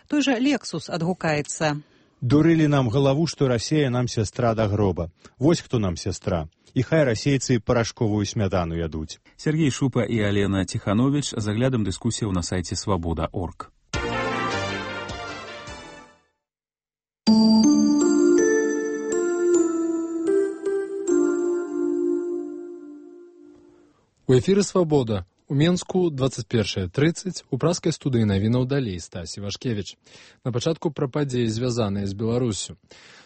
Той жа Лексус адгукаецца: «Дурылі нам галаву, што Расія нам сястра да гроба. Вось хто нам сястра. І хай расейцы парашковую смятану ядуць». Сергей Шупа і Алена Тиханович з аглядам дыскусіяў на сайце Свабода.орг. У эфіры «Свабода». У Менску 21:30, у праскай студыі навінаў далей Стасі Вашкевіч. На пачатку пра падзеі, звязаныя з Беларуссю.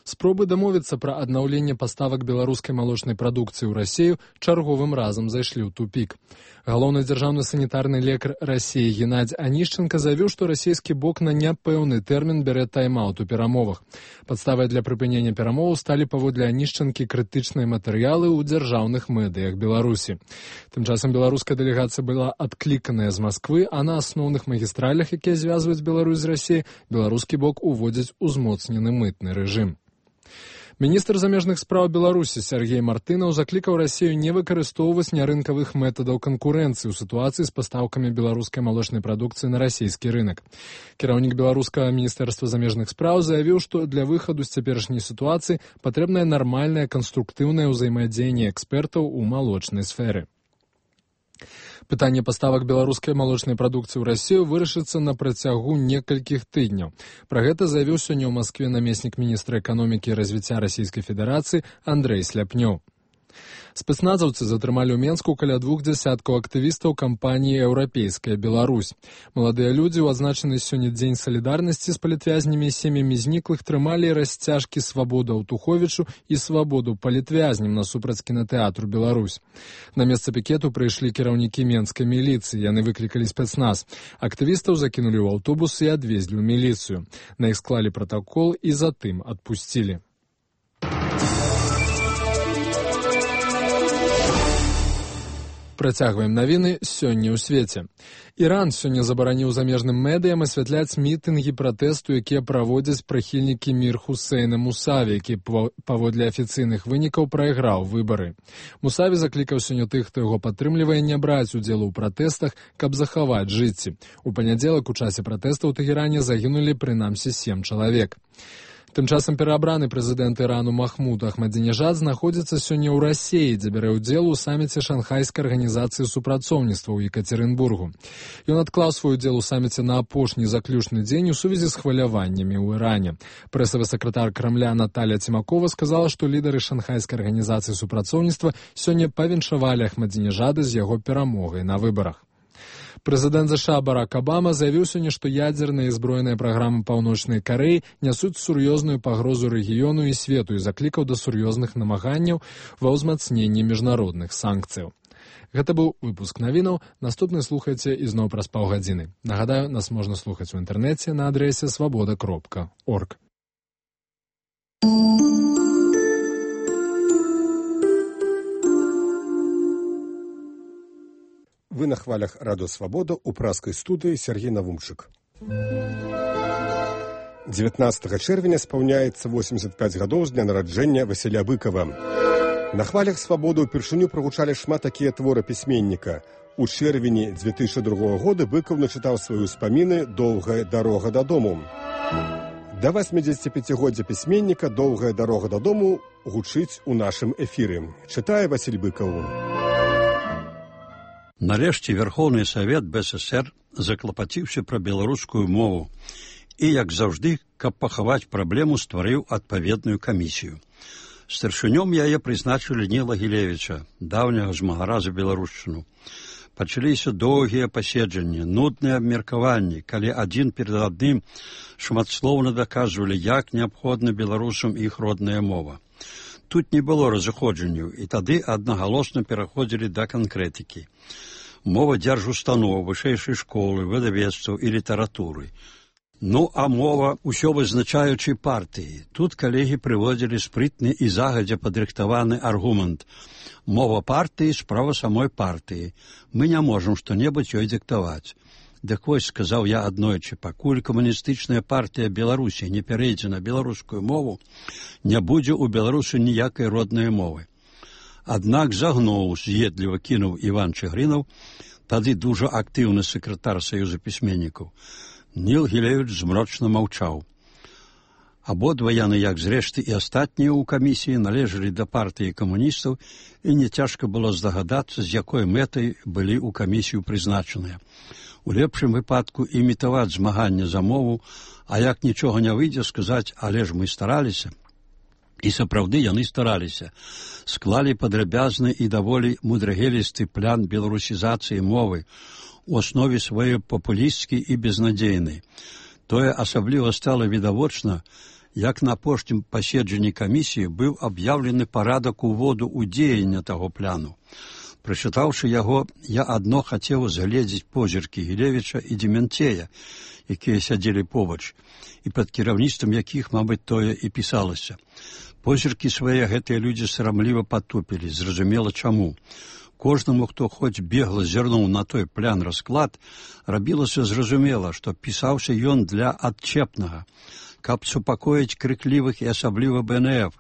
Спробы дамовіцца пра аднаўленне паставак беларускай малочнай прадукцыі ў Расію чарговым разам зайшлі ў тупік. Галоўны дзяржаўны санітарны лекар Расіі Геннадзь Анішченка заявіў, што расійскі бок на няпэўны тэрмін бярэ тайм-аут у перамовах. Падставай для прыпынення перамоваў сталі, паводле Анішченкі, крытычныя матэрыялы ў дзяржаўных медыях Беларусі. Тым часам беларуская дэлегацыя была адкліканая з Масквы, а на асноўных магістралях, якія звязваюць Беларусь з Расіяй, беларускі бок уводзіць узмоцнены мытны рэжым. Міністр замежных спраў Беларусі Сергей Мартынаў заклікаў Расію не выкарыстоўваць нярынкавых метадаў канкурэнцыі ў сітуацыі з пастаўкамі беларускай малочнай прадукцыі на расійскі рынак. Кіраўнік беларускага міністэрства замежных спраў заявіў, што для выхаду з цяперашняй сітуацыі патрэбнае нармальнае канструктыўнае ўзаемадзеянне экспертаў у малочнай сферы. Пытанне паставак беларускай малочнай прадукцыі ў Расію вырашыцца на працягу некалькіх тыдняў. Пра гэта заявіў сёння ў Маскве намеснік міністра эканомікі і развіцця Расійскай Федэрацыі Андрэй Сляпнёў. Спецназаўцы затрымалі ў Менску каля 2 дзясяткаў актывістаў кампаніі «Еўрапейская Беларусь». Маладыя людзі ў адзначаны сёння дзень салідарнасці з палітвязнямі і сем'ямі зніклых трымалі расцяжкі «Свабода Аўтуховічу» і «Свабоду палітвязням» насупраць кінатэатру «Беларусь». На месца пікету прыйшлі кіраўнікі менскай міліцыі, яны выклікалі спецназ. Актывістаў закінулі ў аўтобус і адвезлі ў міліцыю. На іх склалі пратакол і затым адпусцілі. Працягваем навіны сёння ў свеце. Іран сёння забараніў замежным медыям асвятляць мітынгі пратэсту, якія праводзяць прыхільнікі Мір Хусейна Мусаві, які паводле афіцыйных вынікаў прайграў выбары. Мусаві заклікаў сёння тых, хто яго падтрымлівае, не браць удзелу ў пратэстах, каб захаваць жыцці. У панядзелак у часе пратэста ў Тэгеране загінулі прынамсі 7 чалавек. Тым часам пераабраны прэзідэнт Ірану Махмуд Ахмадзінежад знаходзіцца сёння ў Расіі, дзе бярэ ўдзел у саміце Шанхайскай арганізацыі супрацоўніцтва ў Екацерынбургу. Ён адклаў свой удзел у саміце на апошні заключны дзень у сувязі з хваляваннямі ў Іране. Прэсавы сакратар Крамля Наталія Цімакова сказала, што лідары Шанхайскай арганізацыі супрацоўніцтва сёння павіншавалі Ахмадзінежада з яго перамогай на выбарах. Прэзідэнт США Барак Абама заявіў сёння, што ядзерная і збройная праграма Паўночнай Карэі нясуць сур'ёзную пагрозу рэгіёну і свету і заклікаў да сур'ёзных намаганняў ва ўзмацненні міжнародных санкцыяў. Гэта быў выпуск навінаў. Наступны слухайце ізноў праз паўгадзіны. Нагадаю, нас можна слухаць у інтэрнэце на адрэсе свабода.орг. Вы на хвалях Радио Свобода у праскай студыі Сергей Навумчык. 19 чэрвеня спаўняецца 85 гадоў з дня нараджэння Васіля Быкава. На хвалях Свободы ўпершыню прагучалі шмат такія творы пісьменніка. У чэрвені 2002 года Быкаў начытаў свае ўспаміны «Доўгая дарога дадому». Да 85-годдзя пісьменніка «Доўгая дарога дадому» гучыць у нашым эфіры. Чытае Васіль Быкаў. Нарэшце Верховны Савет БССР заклапаціўся пра беларускую мову і, як заўжды, каб пахаваць праблему, стварыў адпаведную камісію. Старшынём яе прызначылі Ніла Гілевіча, даўняга змагара за беларушчыну. Пачаліся доўгія паседжанні, нудныя абмеркаванні, калі адзін перад адным шматслоўна даказвалі, як неабходна беларусам іх родная мова. Тут не было разыходжанняў, і тады аднагалосна пераходзілі да канкрэтыкі. Мова дзяржустаноў, вышэйшай школы, выдавецтваў і літаратуры. Ну, а мова ўсё вызначаючай партыі. Тут калегі прыводзілі спрытны і загадзя падрыхтаваны аргумент. Мова партыі – справа самой партыі. Мы не можам што-небудзь ёй дыктаваць. Дык вось, сказаў я аднойчы, пакуль камуністычная партыя Беларусі не перейдзе на беларускую мову, не будзе ў Беларусі ніякай роднай мовы. Аднак загнуў, з'едліва кінуў Іван Чыгрынаў, тады дужа актыўны сакратар Саюза пісьменнікаў. Ніл Гілевіч змрочна маўчаў. Абодва яны, як зрэшты і астатнія ў камісіі, належалі да партыі камуністаў, і не цяжка было здагадацца, з якой мэтай былі ў камісію прызначаныя. У лепшым выпадку імітаваць змаганне за мову, а як нічога не выйдзе, сказаць, але ж мы стараліся. І сапраўды яны стараліся. Склалі падрабязны і даволі мудрагелісты план беларусізацыі мовы, у аснове сваёй папулісцкі і безнадзейны. Тое асабліва стала відавочна, як на апошнім паседжанні камісіі быў аб'яўлены парадак уводу ў дзеянне таго пляну. Прачытаўшы яго, я адно хацеў згледзець позіркі Гілевіча і Дементея, якія сядзелі побач, і пад кіраўніцтвам якіх, мабыць, тое і пісалася. Позіркі свае гэтыя людзі сарамліва патупілі, зразумела чаму. Кожнаму, хто хоць бегла зірнуў на той плян расклад, рабілася зразумела, што пісаўся ён для адчэпнага, каб супакоіць крыклівых і асабліва БНФ,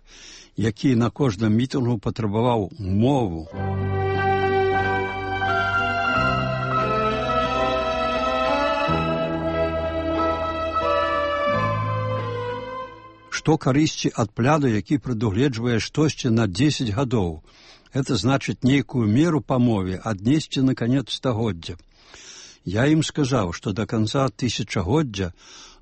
які на кожным мітынгу патрабаваў мову. Што карысці ад пляну, які прадугледжвае штосьці на 10 гадоў? Это значыць нейкую меру па мове аднесці на канец стагоддзя. Я ім сказаў, што да канца тысячагоддзя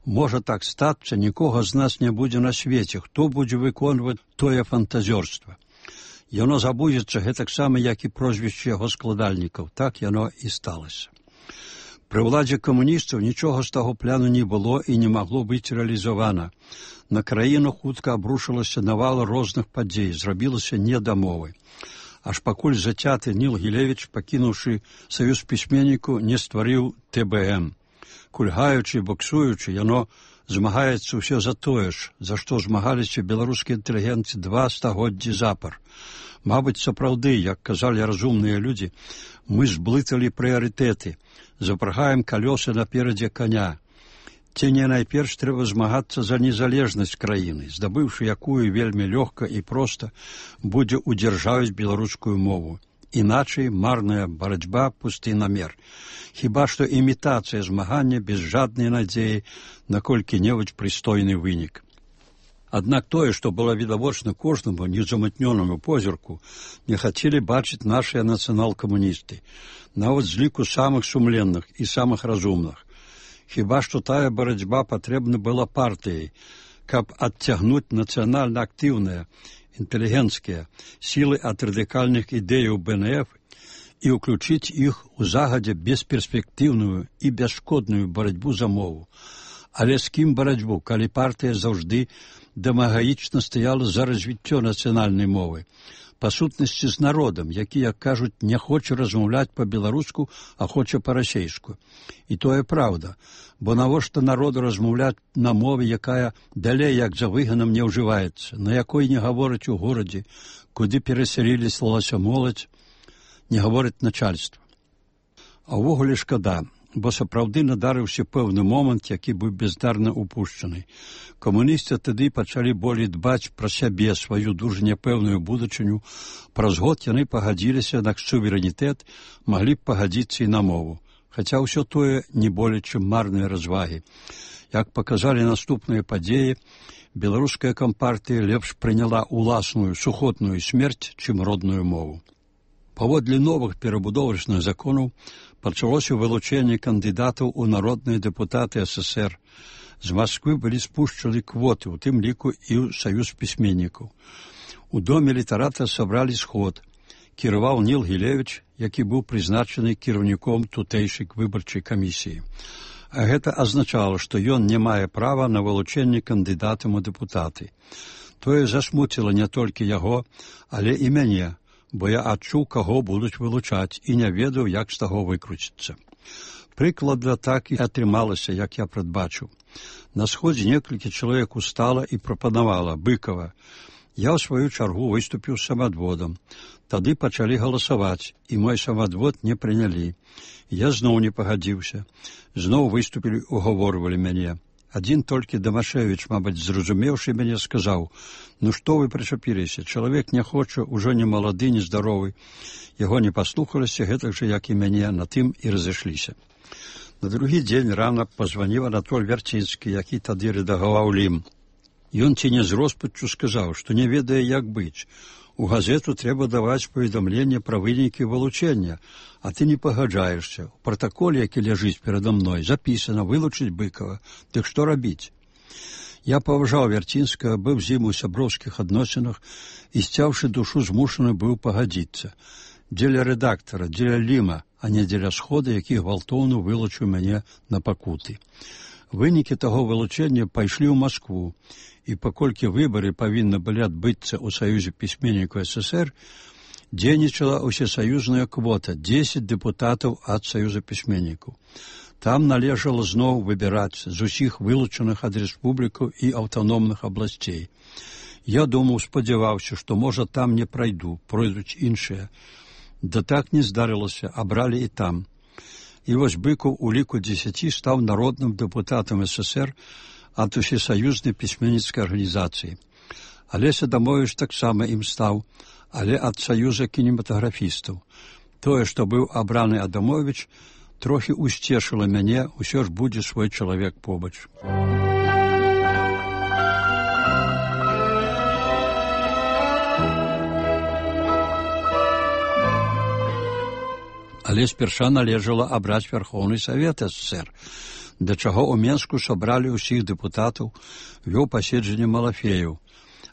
можа так стацца, нікога з нас не будзе на свеце, хто будзе выконваць тое фантазёрства. Яно забудзецца гэтаксама, як і прозвішча яго складальнікаў. Так яно і сталася. Пры ўладзе камуністаў нічога з таго пляну не было і не магло быць рэалізавана. На краіну хутка абрушылася навала розных падзей, зрабілася не да мовы. Аж пакуль зацяты Ніл Гілевіч, пакінуўшы Саюз пісьменніку, не стварыў ТБМ. Кульгаючы і боксуючы, яно змагаецца ўсё за тое ж, за што змагаліся беларускія інтэлігенты 2 стагоддзі запар. Мабыць, сапраўды, як казалі разумныя людзі, мы зблыталі прыярытэты, запрагаем калёсы наперадзе коня. Ці не найперш трэба змагацца за незалежнасць краіны, здабыўшы якую вельмі лёгка і проста будзе удзяржавіць беларускую мову. Іначай марная барацьба, пусты намер. Хіба што імітацыя змагання без жаднай надзеі на колькі-небудзь прыстойны вынік. Аднак тое, што было відавочна кожнаму незамытнёнаму позірку, не хацелі бачыць нашыя нацыянал-камуністы, нават з ліку самых сумленных і самых разумных. Хіба што тая барацьба патрэбна была партыяй, каб адцягнуць нацыянальна актыўныя, інтэлігенцкія сілы ад радыкальных ідэяў БНФ і ўключыць іх у загадзя бесперспектыўную і бясшкодную барацьбу за мову. Але з кім барацьбу, калі партыя заўжды дамагаічна стаяла за развіццё нацыянальнай мовы? Па сутнасці з народам, які, як кажуць, не хоча размаўляць па-беларуску, а хоча па-расейску. І тое праўда, бо навошта народу размаўляць на мове, якая далей як за выганам не ўжываецца, на якой не гавораць у горадзе, куды перасяліліся моладзь, не гаворыць начальства. А ўвогуле шкада, бо сапраўды надарыўся пэўны момант, які быў бездарна упушчаны. Камуністы тады пачалі болей дбаць пра сябе, сваю дужа няпэўную будучыню. Праз год яны пагадзіліся на суверэнітэт, маглі б пагадзіцца і на мову. Хаця ўсё тое не болей, чым марныя развагі. Як паказалі наступныя падзеі, беларуская кампартыя лепш прыняла ўласную сухотную смерць, чым родную мову. Паводле новых перабудовачных законаў пачалося вылучэнне кандыдатаў у народныя дэпутаты СССР. З Масквы былі спушчаны квоты, у тым ліку і ў Саюз пісьменнікаў. У доме літарата сабралі сход. Кіраваў Ніл Гілевіч, які быў прызначаны кіраўніком тутэйшай выбарчай камісіі. А гэта азначала, што ён не мае права на вылучэнне кандыдатам у дэпутаты. Тое засмуціла не толькі яго, але і мяне, бо я адчуў, каго будуць вылучаць, і не ведаў, як з таго выкруціцца. Прыкладна так і атрымалася, як я прадбачыў. На сходзе некалькі чалавек устала і прапанавала Быкова. Я, ў сваю чаргу, выступіў з самадводам. Тады пачалі галасаваць, і мой самадвод не прынялі. Я зноў не пагадзіўся. Зноў выступілі, угаворвалі мяне. Адзін толькі Дамашевіч, мабыць, зразумеўшы мяне, сказаў: «Ну што вы прычапіліся? Чалавек не хоча, ужо не малады, не здаровы». Яго не паслухаліся, гэтак жа, як і мяне, на тым і разышліся. На другі дзень рана пазваніў Анатоль Вярцінскі, які тады рэдагаваў «Лім». Ён ці не з роспаччу сказаў, што не ведае, як быць. У газету трэба даваць паведамленне пра вынікі вылучэння, а ты не пагаджаешся. У пратаколе, які ляжыць перада мной, запісана вылучыць Быкова. Дык што рабіць? Я паважаў Вярцінскага, быў з ім у сяброўскіх адносінах і, сцяўшы душу, змушаны быў пагадзіцца. Дзеля рэдактара, дзеля Ліма, а не дзеля схода, які гвалтоўна вылучыў мяне на пакуты. Вынікі таго вылучэння пайшлі ў Маскву, і паколькі выбары павінны былі адбыцца ў Саюзе пісьменнікаў СССР, дзейнічала ўсесаюзная квота 10 дэпутатаў ад Саюза пісьменнікаў. Там належала зноў выбіраць з усіх вылучаных ад рэспублікаў і аўтаномных абласцей. Я думаў, спадзяваўся, што, можа, там не прайду, пройдуць іншыя. Да так не здарылася, абралі і там. І вось Быкаў у ліку 10 стаў народным дэпутатам СССР ад усесаюзнай пісьменніцкай арганізацыі. Алеся Адамовіч таксама ім стаў, але ад Саюза кінематаграфістаў. Тое, што быў абраны Адамовіч, трохі усцешыла мяне, усё ж будзе свой чалавек побач. Але спярша належала абраць Верхоўны Савет СССР, да чаго ў Менску сабралі ўсіх дэпутатаў, вёў паседжанне Малафеяў.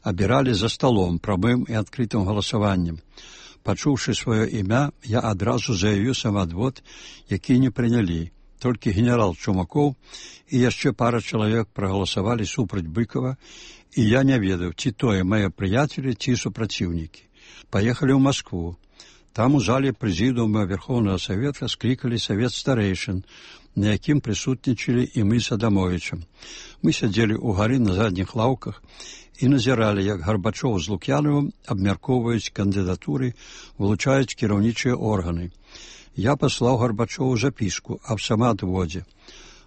Абіралі за сталом, прамым і адкрытым галасаваннем. Пачуўшы сваё імя, я адразу заявіў самадвод, які не прынялі. Толькі генерал Чумакоў і яшчэ пара чалавек прагаласавалі супраць Быкова, і я не ведаў, ці тое мае прыяцелі, ці супраціўнікі. Паехалі ў Маскву. Там у зале прэзідыума Верхоўнага Савета склікалі савет старэйшын, на якім прысутнічалі і мы з Адамовічам. Мы сядзелі ўгары на задніх лаўках і назіралі, як Гарбачоў з Лук'янавым абмяркоўваюць кандыдатуры, вылучаюць кіраўнічыя органы. Я паслаў Гарбачову запіску аб самаадводзе.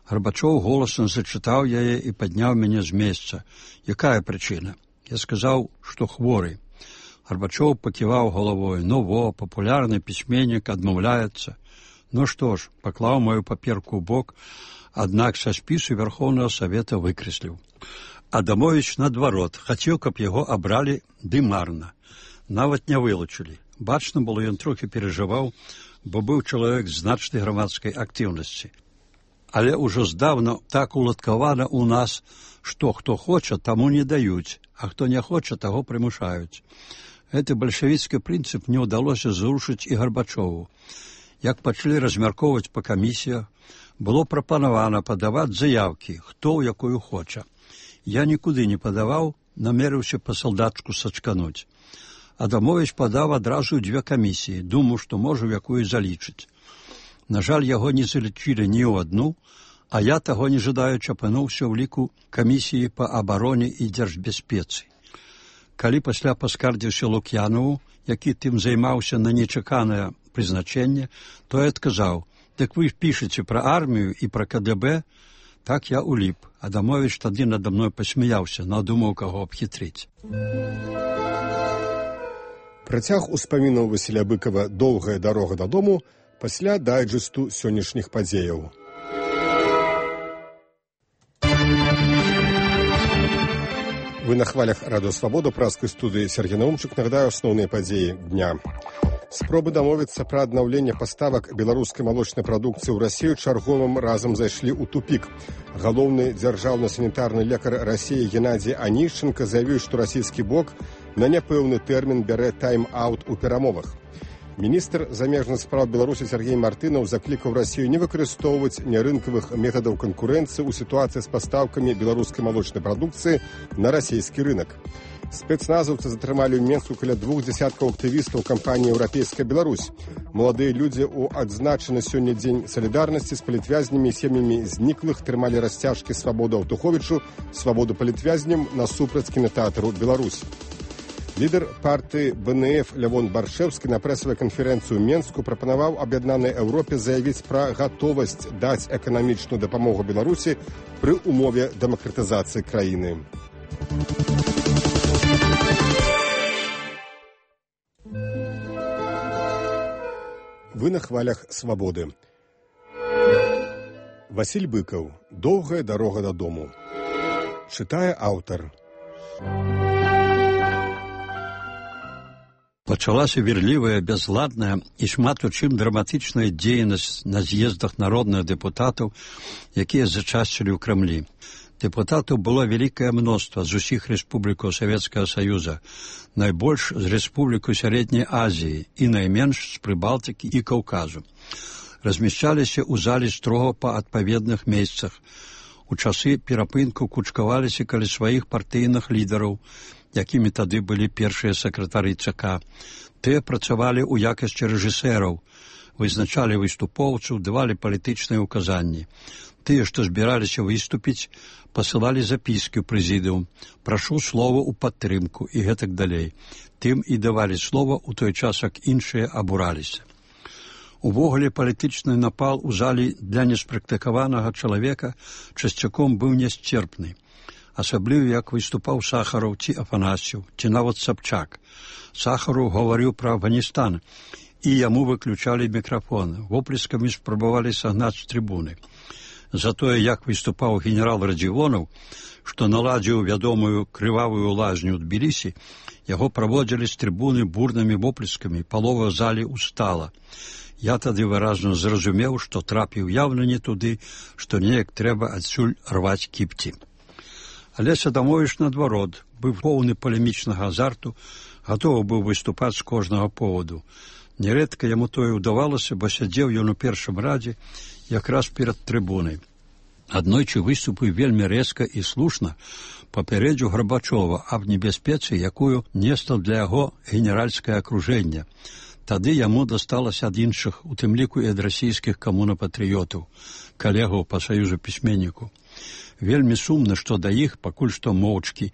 Гарбачоў голасам зачытаў яе і падняў мяне з месца. Якая прычына? Я сказаў, што хворы. Гарбачоў паківаў галавой. Ну во, папулярны пісьменнік адмаўляецца. Ну што ж, паклаў мою паперку ў бок, аднак са спісу Верхоўнага Савета выкрэсліў. Адамовіч, наадварот, хацеў, каб яго абралі, ды марна. Нават не вылучылі. Бачна было, ён трохі перажываў, бо быў чалавек значнай грамадскай актыўнасці. Але ўжо здаўна так уладкавана ў нас, што хто хоча, таму не даюць, а хто не хоча, таго прымушаюць. Гэты бальшавіцкі прынцып не ўдалося зрушыць і Гарбачову. Як пачалі размяркоўваць па камісіях, было прапанавана падаваць заявкі, хто ў якую хоча. Я нікуды не падаваў, намерыўся па-салдацку сачкануць. Адамовіч падаў адразу 2 камісіі, думаў, што можа ў якую залічыць. На жаль, яго не залічылі ні ў адну, а я, таго не жадаючы, апынуўся ў ліку камісіі па абароне і дзяржбяспецы. Калі пасля паскардзіўся Лук'янаву, які тым займаўся на нечаканае прызначэнне, то я адказаў: «Дык вы пішаце пра армію і пра КДБ?» Так я уліп. Адамовіч тады надо мной пасмяяўся, надумаў, каго абхітрыць. Працяг успамінаў Васіля Быкова «Доўгая дарога дадому» пасля дайджэсту сённяшніх падзеяў. Вы на хвалях Радыё Свабода, праскай студыі Сергей Наумчык. Нагадаю асноўныя падзеі дня. Спробы дамовіцца пра аднаўленне паставак беларускай малочнай прадукцыі ў Расію чарговым разам зайшлі ў тупік. Галоўны дзяржаўна-санітарны лекар Расіі Геннадзій Анішченка заявіў, што расійскі бок на няпэўны тэрмін бярэ тайм-аут у перамовах. Міністр замежных спраў Беларусі Сергей Мартынаў заклікаў Расію не выкарыстоўваць нярынкавых метадаў канкурэнцыі ў сітуацыі з пастаўкамі беларускай малочнай прадукцыі на расійскі рынак. Спецназаўцы затрымалі ў Менску каля 2 дзясяткаў актывістаў кампаніі «Еўрапейская Беларусь». Маладыя людзі ў адзначаны сёння дзень салідарнасці з палітвязнямі і сем'ямі зніклых трымалі расцяжкі «Свабоду Аўтуховічу», «Свабоду палітвязням» насупраць кінатэатру «Беларусь». Лідар партыі БНФ Лявон Баршэўскі на прэсавай канферэнцыі ў Менску прапанаваў аб'яднанай Еўропе заявіць пра гатовасць даць эканамічную дапамогу Беларусі пры ўмове дэмакратызацыі краіны. Вы на хвалях свабоды. Васіль Быкаў. Доўгая дарога дадому. Чытае аўтар. Пачалася верлівая, бязладная і шмат у чым драматычная дзейнасць на з'ездах народных дэпутатаў, якія зачасцілі ў Крамлі. Дэпутатаў было вялікае мноства з усіх рэспублікаў Савецкага Саюза, найбольш з рэспублікаў Сярэдняй Азіі і найменш з Прыбалтыкі і Каўказу. Размяшчаліся ў залі строга па адпаведных месцах. У часы перапынку кучкаваліся каля сваіх партыйных лідараў, якімі тады былі першыя сакратары ЦК. Тыя працавалі ў якасці рэжысэраў, вызначалі выступоўцаў, давалі палітычныя ўказанні. Тыя, што збіраліся выступіць, пасылалі запіскі ў прэзідыум, прашу слова ў падтрымку і гэтак далей. Тым і давалі слова ў той час, як іншыя абураліся. Увогуле палітычны напал у залі для неспрактыкаванага чалавека часцяком быў нясцерпны. Асабліва, як выступаў Сахараў ці Афанасьеў, ці нават Сабчак. Сахараў гаварыў пра Афганістан, і яму выключалі мікрафон, воплескамі спрабавалі сагнаць з трыбуны. Затое, як выступаў генерал Радзівонаў, што наладзіў вядомую крывавую лазню ў Тбілісі, яго праводзілі з трыбуны бурнымі воплескамі, палова залі устала. Я тады выразна зразумеў, што трапіў яўна не туды, што неяк трэба адсюль рваць кіпці. Але Адамовіч, наадварот, быў поўны палемічнага азарту, гатовы быў выступаць з кожнага поводу. Нярэдка яму тое ўдавалася, бо сядзеў ён у першым радзе, якраз перад трыбунай. Аднойчы выступіў вельмі рэзка і слушна, папярэдзіў Гарбачова аб небяспецы, якую несла для яго генеральскае акружэнне. Тады яму дасталася ад іншых, у тым ліку і ад расійскіх камунапатрыётаў, калегаў па саюзу пісьменніку. Вельмі сумна, што да іх, пакуль што моўчкі,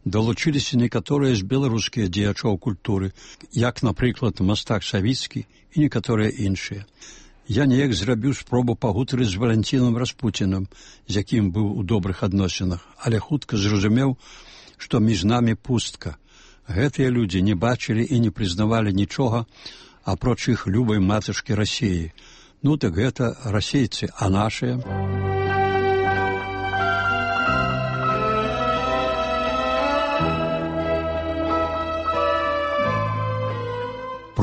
далучыліся некаторыя з беларускіх дзеячоў культуры, як, напрыклад, мастак Савіцкі і некаторыя іншыя. Я неяк зрабіў спробу пагутарыць з Валянцінам Распуцінам, з якім быў у добрых адносінах, але хутка зразумеў, што між намі пустка. Гэтыя людзі не бачылі і не прызнавалі нічога, апроч іх любай матачкі Расіі. Ну так гэта расейцы, а нашыя...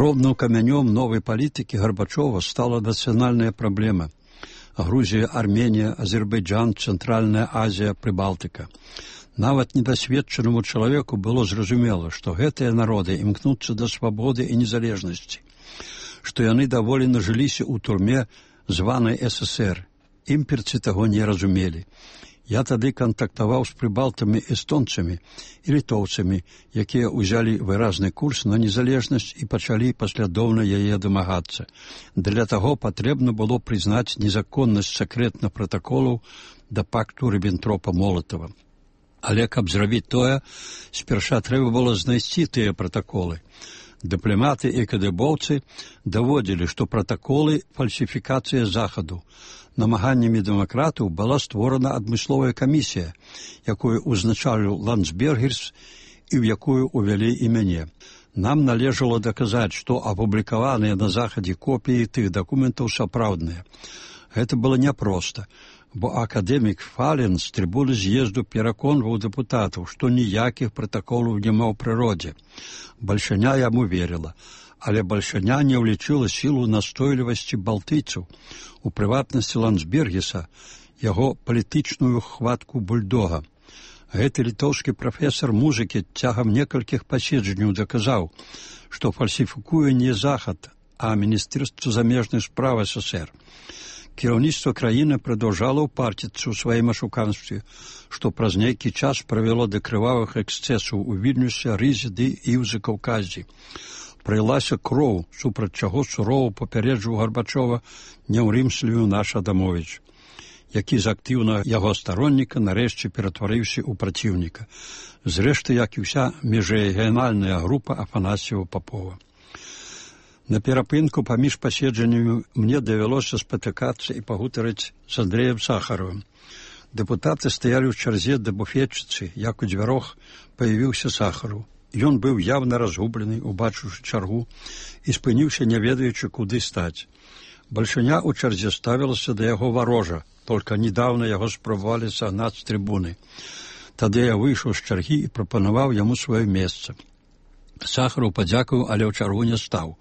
Пробным камянём новай палітыкі Гарбачова стала нацыянальная праблема. Грузія, Арменія, Азербайджан, Цэнтральная Азія, Прыбалтыка. Нават недасведчанаму чалавеку было зразумела, што гэтыя народы імкнуцца да свабоды і незалежнасці, што яны даволі нажыліся ў турме званай ССР. Імперцы таго не разумелі. Я тады кантактаваў з прыбалтамі эстонцамі і літоўцамі, якія ўзялі выразны курс на незалежнасць і пачалі паслядоўна яе дамагацца. Для таго патрэбна было прызнаць незаконнасць сакрэтных пратаколаў да пакту Ріббентропа-Молатава. Але каб зрабіць тое, спярша трэба было знайсці тыя пратаколы. Дыпламаты і кадыбоўцы даводзілі, што пратаколы – фальсіфікацыя захаду. Намаганнямі дэмакратаў была створана адмысловая камісія, якую узначаліў Ландсбергерс і ў якую увялі і мяне. Нам належала даказаць, што апублікаваныя на захадзе копіі тых дакументаў сапраўдныя. Гэта было няпроста, бо акадэмік Фален з трыбуны з'езду пераконваў дэпутатаў, што ніякіх пратаколаў няма ў прыродзе. Бальшаня яму верыла, але бальшаня не ўлічыла сілу настойлівасці балтыйцаў, у прыватнасці Ландсбергеса, яго палітычную хватку бульдога. Гэты літоўскі прафесар музыкі цягам некалькіх паседжанняў даказаў, што фальсіфікуе не захад, а Міністэрства замежных спраў СССР. Кіраўніцтва краіны прадаўжала ўпарціцца ў сваім ашуканстве, што праз нейкі час прывяло да крывавых эксцэсаў у Вільнюсе, Рызе ды і ў Закаўказі. Прылася кроў, супраць чаго сурова папярэджваў Гарбачова, не ўрымслівіў наш Адамовіч. які з актыўнага яго старонніка нарэшце ператварыўся ў праціўніка. Зрэшты, як і ўся міжрэгіянальная група Афанасьева-Папова. На перапынку паміж паседжаннямі мне давялося спатыкацца і пагутарыць з Андрэем Сахаровым. Дэпутаты стаялі ў чарзе да буфетчыцы, як у дзвярох паявіўся Сахаров. Ён быў явна разгублены, убачыўшы чаргу, і спыніўся, не ведаючы, куды стаць. Бальшыня ў чарзе ставілася да яго варожа, толькі недавно яго спрабавалі сагнаць з трыбуны. Тады я выйшаў з чаргі і прапанаваў яму сваё месца. Сахаров падзякаваў, але ў чаргу не стаў.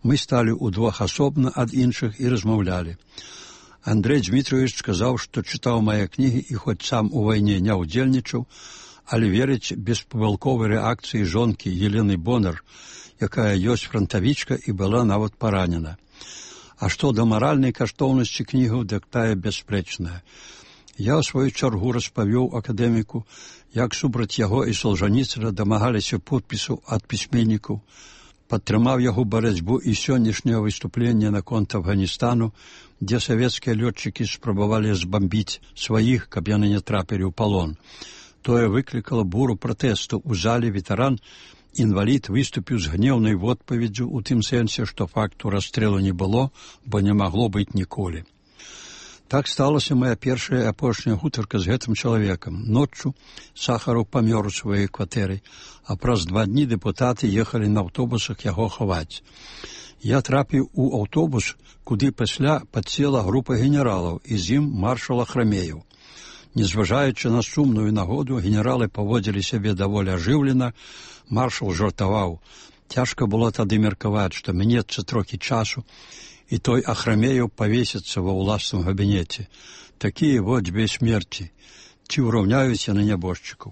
Мы сталі ўдвох асобна ад іншых і размаўлялі. Андрэй Дмітрович сказаў, што чытаў мае кнігі і хоць сам у вайне не ўдзельнічаў, але верыць беспамылковай рэакцыі жонкі Елены Бонар, якая ёсць франтавічка і была нават паранена. А што да маральнай каштоўнасці кнігаў, дык тая бясспрэчная. Я ў сваю чаргу распавёў акадэміку, як супраць яго і Солжаніцына дамагаліся подпісаў ад пісьменнікаў, падтрымаў яго барацьбу і сённяшняе выступленне наконт Афганістану, дзе савецкія лётчыкі спрабавалі збамбіць сваіх, каб яны не трапілі ў палон. Тое выклікала буру пратэсту. У зале ветэран, інвалід, выступіў з гнеўнай водпаведдзю у тым сэнсе, што факту расстрэлу не было, бо не магло быць ніколі. Так сталася моя першая і апошняя гутарка з гэтым чалавекам. Ноччу Сахаров памёр у сваёй кватэры, а праз 2 дні дэпутаты ехалі на аўтобусах яго хаваць. Я трапіў у аўтобус, куды пасля падсела група генералаў, і з ім маршал Ахрамеев. Незважаючы на сумную нагоду, генералы паводзілі сябе даволі ажыўлена, маршал жартаваў. Цяжка было тады меркаваць, што мінецца трохі часу, і той Ахрамеев павесіцца ва ўласным габінеце. Такія вот дзве смерці. Ці ўраўняюць яны нябожчыкаў?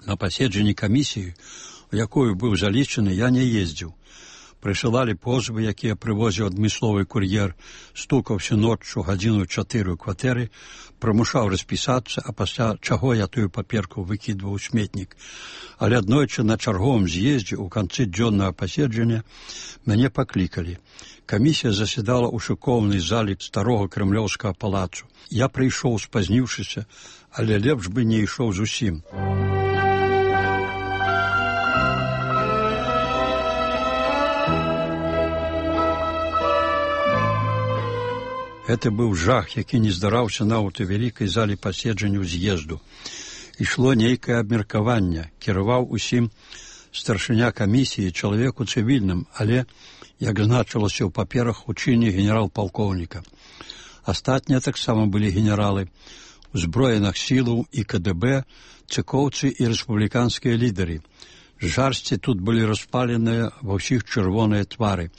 На паседжанні камісіі, у якую быў залічаны, я не ездзіў. Прысылалі позвы, якія прывозіў адмысловы кур'ер, стукаўся ноччу 1:04 ў кватэры, прымушаў распісацца, а пасля чаго я тую паперку выкідваў у сметнік. Але аднойчы на чарговым з'ездзе ў канцы дзённага паседжання мяне паклікалі. Камісія заседала ў шыкоўнай залі старога крэмлёўскага палацу. Я прыйшоў, спазніўшыся, але лепш бы не ішоў зусім. Гэта быў жах, які не здараўся нават у вялікай зале паседжанняў з'езду. Ішло нейкае абмеркаванне, кіраваў усім старшыня камісіі, чалавеку цывільным, але, як значылася ў паперах, у чыне генерал-палкоўніка. Астатнія таксама былі генералы узброеных сілаў і КДБ, цыкоўцы і рэспубліканскія лідары. Жарсці тут былі распаленыя ва ўсіх чырвоныя твары.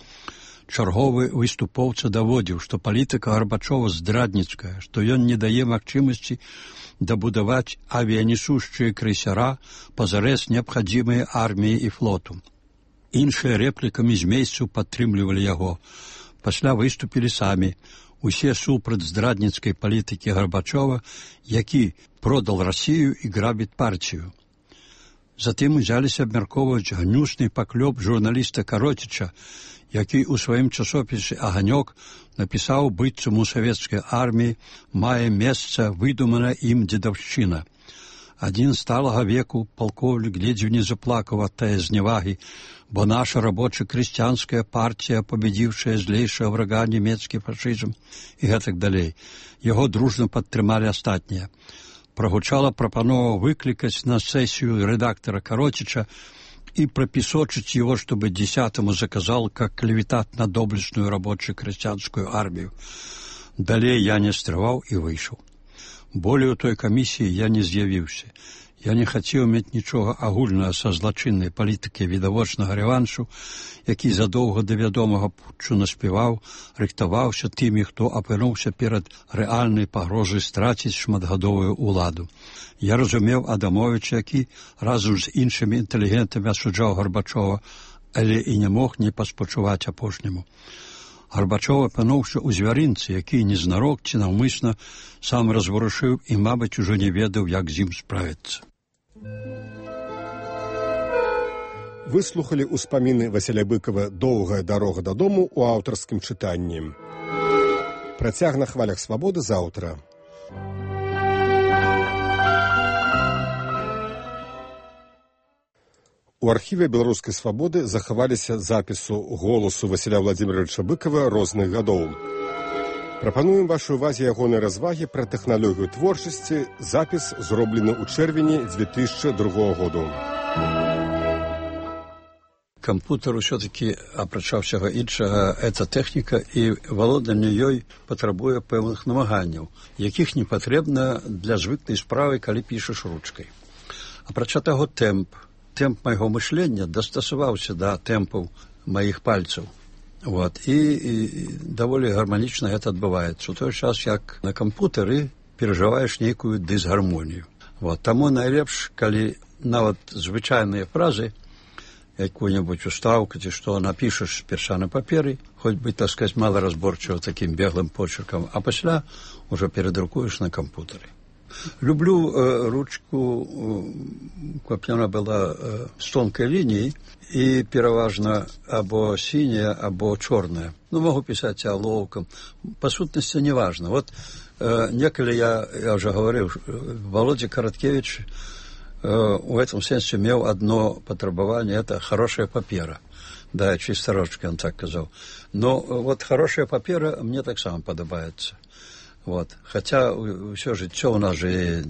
Чарговы выступоўца даводзіў, што палітыка Гарбачова здрадніцкая, што ён не дае магчымасці дабудаваць авіянесушчыя крейсера пазарэз неабхадзімыя арміі і флоту. Іншыя рэплікамі з месцаў падтрымлівалі яго. Пасля выступілі самі. Усе супраць здрадніцкай палітыкі Гарбачова, які продал Расію і грабіць партію. Затым узяліся абмяркоўваць гнюсны паклёп журналіста Кароціча, які ў сваім часопісе «Аганёк» напісаў, быццам у савецкай арміі мае месца выдуманая ім дзедаўшчына. Адзін сталага веку палкоўнік ледзьве не заплакаў ад тае зневагі, бо наша рабоча-крысціянская партія, пабедзіўшая злейшага врага нямецкі фашызм і гэтак далей. Яго дружна падтрымалі астатнія. Прагучала прапанова выклікаць на сесію рэдактара Кароціча и пропесочить его, чтобы 10-му заказал как клеветат на доблестную рабочую крестьянскую армию. Далее я не стрываў и вышел. Более у той комиссии я не з'явіўся. Я не хацеў мець нічога агульнага са злачыннай палітыкай відавочнага рэваншу, які задоўга да вядомага путчу наспяваў, рыхтаваўся тымі, хто апынуўся перад рэальнай пагрозай страціць шматгадовую ўладу. Я разумеў Адамовіча, які разам з іншымі інтэлігентамі асуджаў Гарбачова, але і не мог не паспачуваць апошняму. Гарбачов апынуўся ў звярынцы, які незнарок ці наўмысна сам разварушыў і, мабыць, ужо не ведаў, як з ім справіцца. Выслухалі ўспаміны Васіля Быкова «Доўгая дарога дадому» у аўтарскім чытанні. Працяг на хвалях свабоды заўтра. У архіве беларускай свабоды захаваліся запісу голасу Васіля Владзіміровича Быкова розных гадоў. Прапануем вашай увазе ягонай развагі пра тэхналогію творчасці, запіс зроблены ў чэрвені 2002 году. Кампутер ўсё-такі, апрача ўсяго іншага, это тэхніка, і валоданне ёй патрабуе пэўных намаганняў, якіх не патрэбна для звыклай справы, калі пішаш ручкай. Апрача таго, тэмп майго мышлення дастасаваўся да тэмпаў маіх пальцаў. Вот. І даволі гарманічна гэта адбываецца. У той час, як на кампутары перажываеш нейкую дысгармонію. Вот. Таму найлепш, калі нават звычайныя фразы, якую-небудзь устаўку ці што напішаш перша на паперы, хоць бы, так сказаць, маларазборчыва такім беглым почеркам, а пасля ўжо перадрукуеш на кампутары. Люблю ручку, каб яна была з тонкай лініяй і пераважна або сіняя, або чорная. Ну, могу пісаць алоўкам. Па сутнасці не важна. Вот некалі я уже говорил, Володя Короткевич в этом сенсе имел одно потребование, это хорошая папера. Да, чисто ручка, он так сказал. Но вот хорошая папера мне так само подобается. Вот. Хотя все жыццё у нас же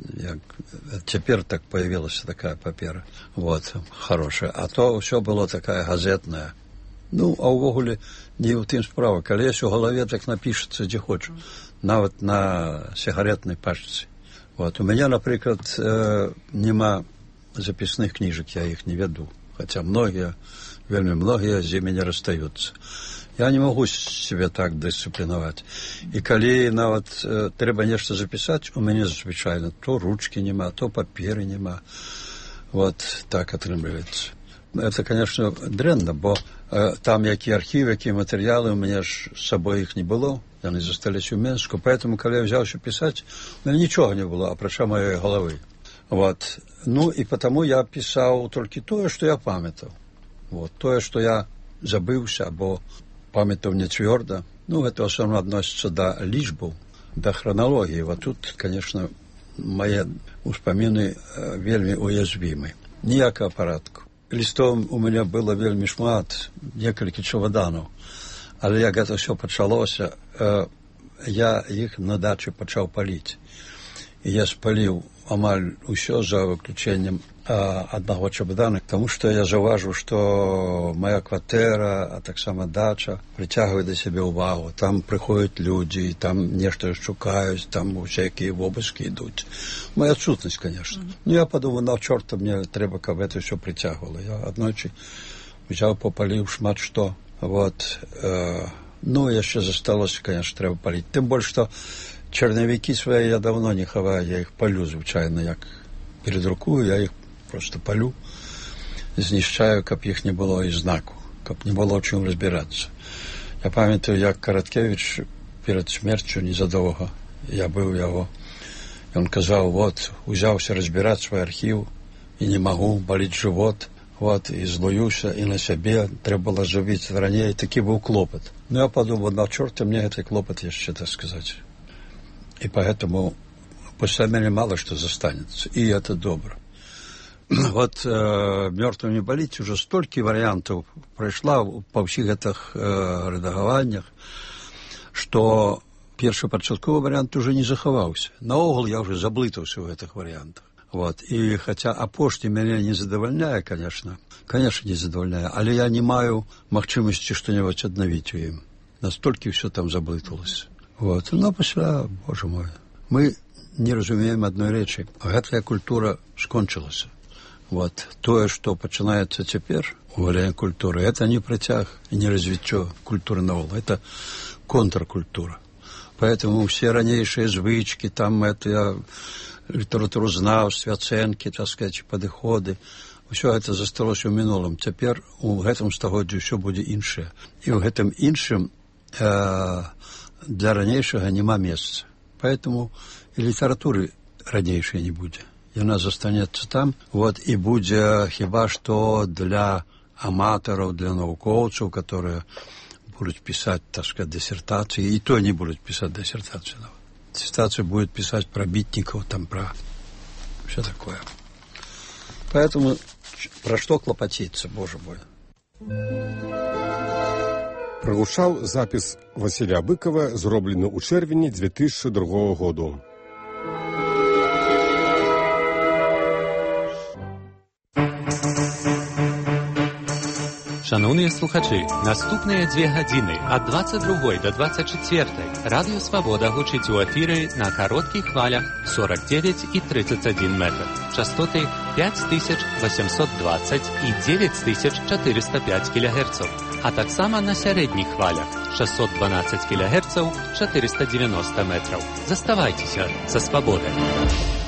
теперь так появилась такая папера. Вот, хорошая. А то все было такая газетная. Ну, а увогуле не ў тым справа. Калі есть у голове, так напишется дзе хочешь. Нават на сигаретной пачцы. Вот. У меня, например, нема записных книжек, я их не веду. Хотя многие, вельмі многие з імі не расстаются. Я не могу себе так дисциплінувати. І коли навіть треба нечто записати, у мене звичайно то ручки нема, то папери нема. Вот так отрымливается. Это, конечно, дрянно, бо там які архів, які матеріали, у мене ж з собою їх не було. Вони зостались у Мінську. Поэтому, коли я взявся писати, у мене нічого не було, апроча моєї голови. Вот. Ну, и потому я писал только то, что я памятал. Вот. То, что я забылся, або памятал не твердо. Ну, это в основном относится до лічбаў, до хронологии. Вот тут, конечно, мои успомины вельми уязвимы. Ніякого порядку. Листом у меня было вельми шмат, некалькі чемоданов. Але як это все почалося, я их на даче почал палить. И я спалил амаль усё за выключением одного чемодана, потому что я заўважыў, что моя кватэра, а так само дача притягивает до себе увагу. Там приходят люди, там нечто шукаюць, там всякие обыски идут. Моя отсутность, конечно. Ну, я подумал, на чорта мне треба, каб это все притягивало. Я одночі взял, попалил шмат что. Вот. Ну, яшчэ засталося, конечно, треба палить. Тем больше, что черновики свои я давно не хаваю, я их палю, звычайно, як передрукую, я их просто палю, знішчаю, каб их не было и знаку, каб не было чым разбираться. Я памятаю, як Короткевич перед смерцю незадолго, я был его, и он казал, вот, узяўся разбирать свой архив, и не могу, болит живот, вот, и злуюся, и на себе, треба было зробить ранее, и таки был клопот. Ну, я подумал, на чёрта мне этот клопот еще, так сказать. И поэтому после меня мало что застанется, и это добро. Вот «Мёртвым не болить» уже столько вариантов пройшла по всех этих редагаваннях, что першапачатковый вариант уже не захаваўся. Наогул я уже заблытаўся в этих вариантах. Вот. И хотя апошні меня не задовольняє, конечно, не задовольняє, але я не маю магчымасці что-нибудь аднавіць у ім. Настолькі все там заблыталось. Вот. Но пасля, боже мой, мы не разумеем одной речи. Гэтая культура скончылася. Вот. То, что пачынаецца цяпер, уваленне культуры, это не працяг и не развіццё культуры наогул, это контркультура. Поэтому все ранейшие звычки, там это літаратуразнаўстве, ацэнкі, так сказать, падыходы, все это засталося ў мінулым. Цяпер у гэтым стагоддзі ўсё будзе іншае. І ў гэтым іншым для ранейшага няма месца. Поэтому и литературы ранейшай не будзе. Яна застанецца там, вот, и будзе хіба што для аматараў, для навукоўцаў, которые будут писать, так сказать, диссертации, и то не будут писать диссертацию. Диссертацию будет писать про битников, там, про все такое. Поэтому Пра што клапаціцца, божа мой. Прагучаў запіс Васіля Быкава, зроблены ў чэрвені 2002 году. Шановні слухачі, наступныя 2 гадзіны ад 22 до 24 Радыё Свабода гучыць у эфіры на кароткіх хвалях 49 і 31 метр. Частоты 5820 і 9405 кГц, а таксама на сярэдніх хвалях 612 кГц 490 метраў. Заставайцеся са Свабодай.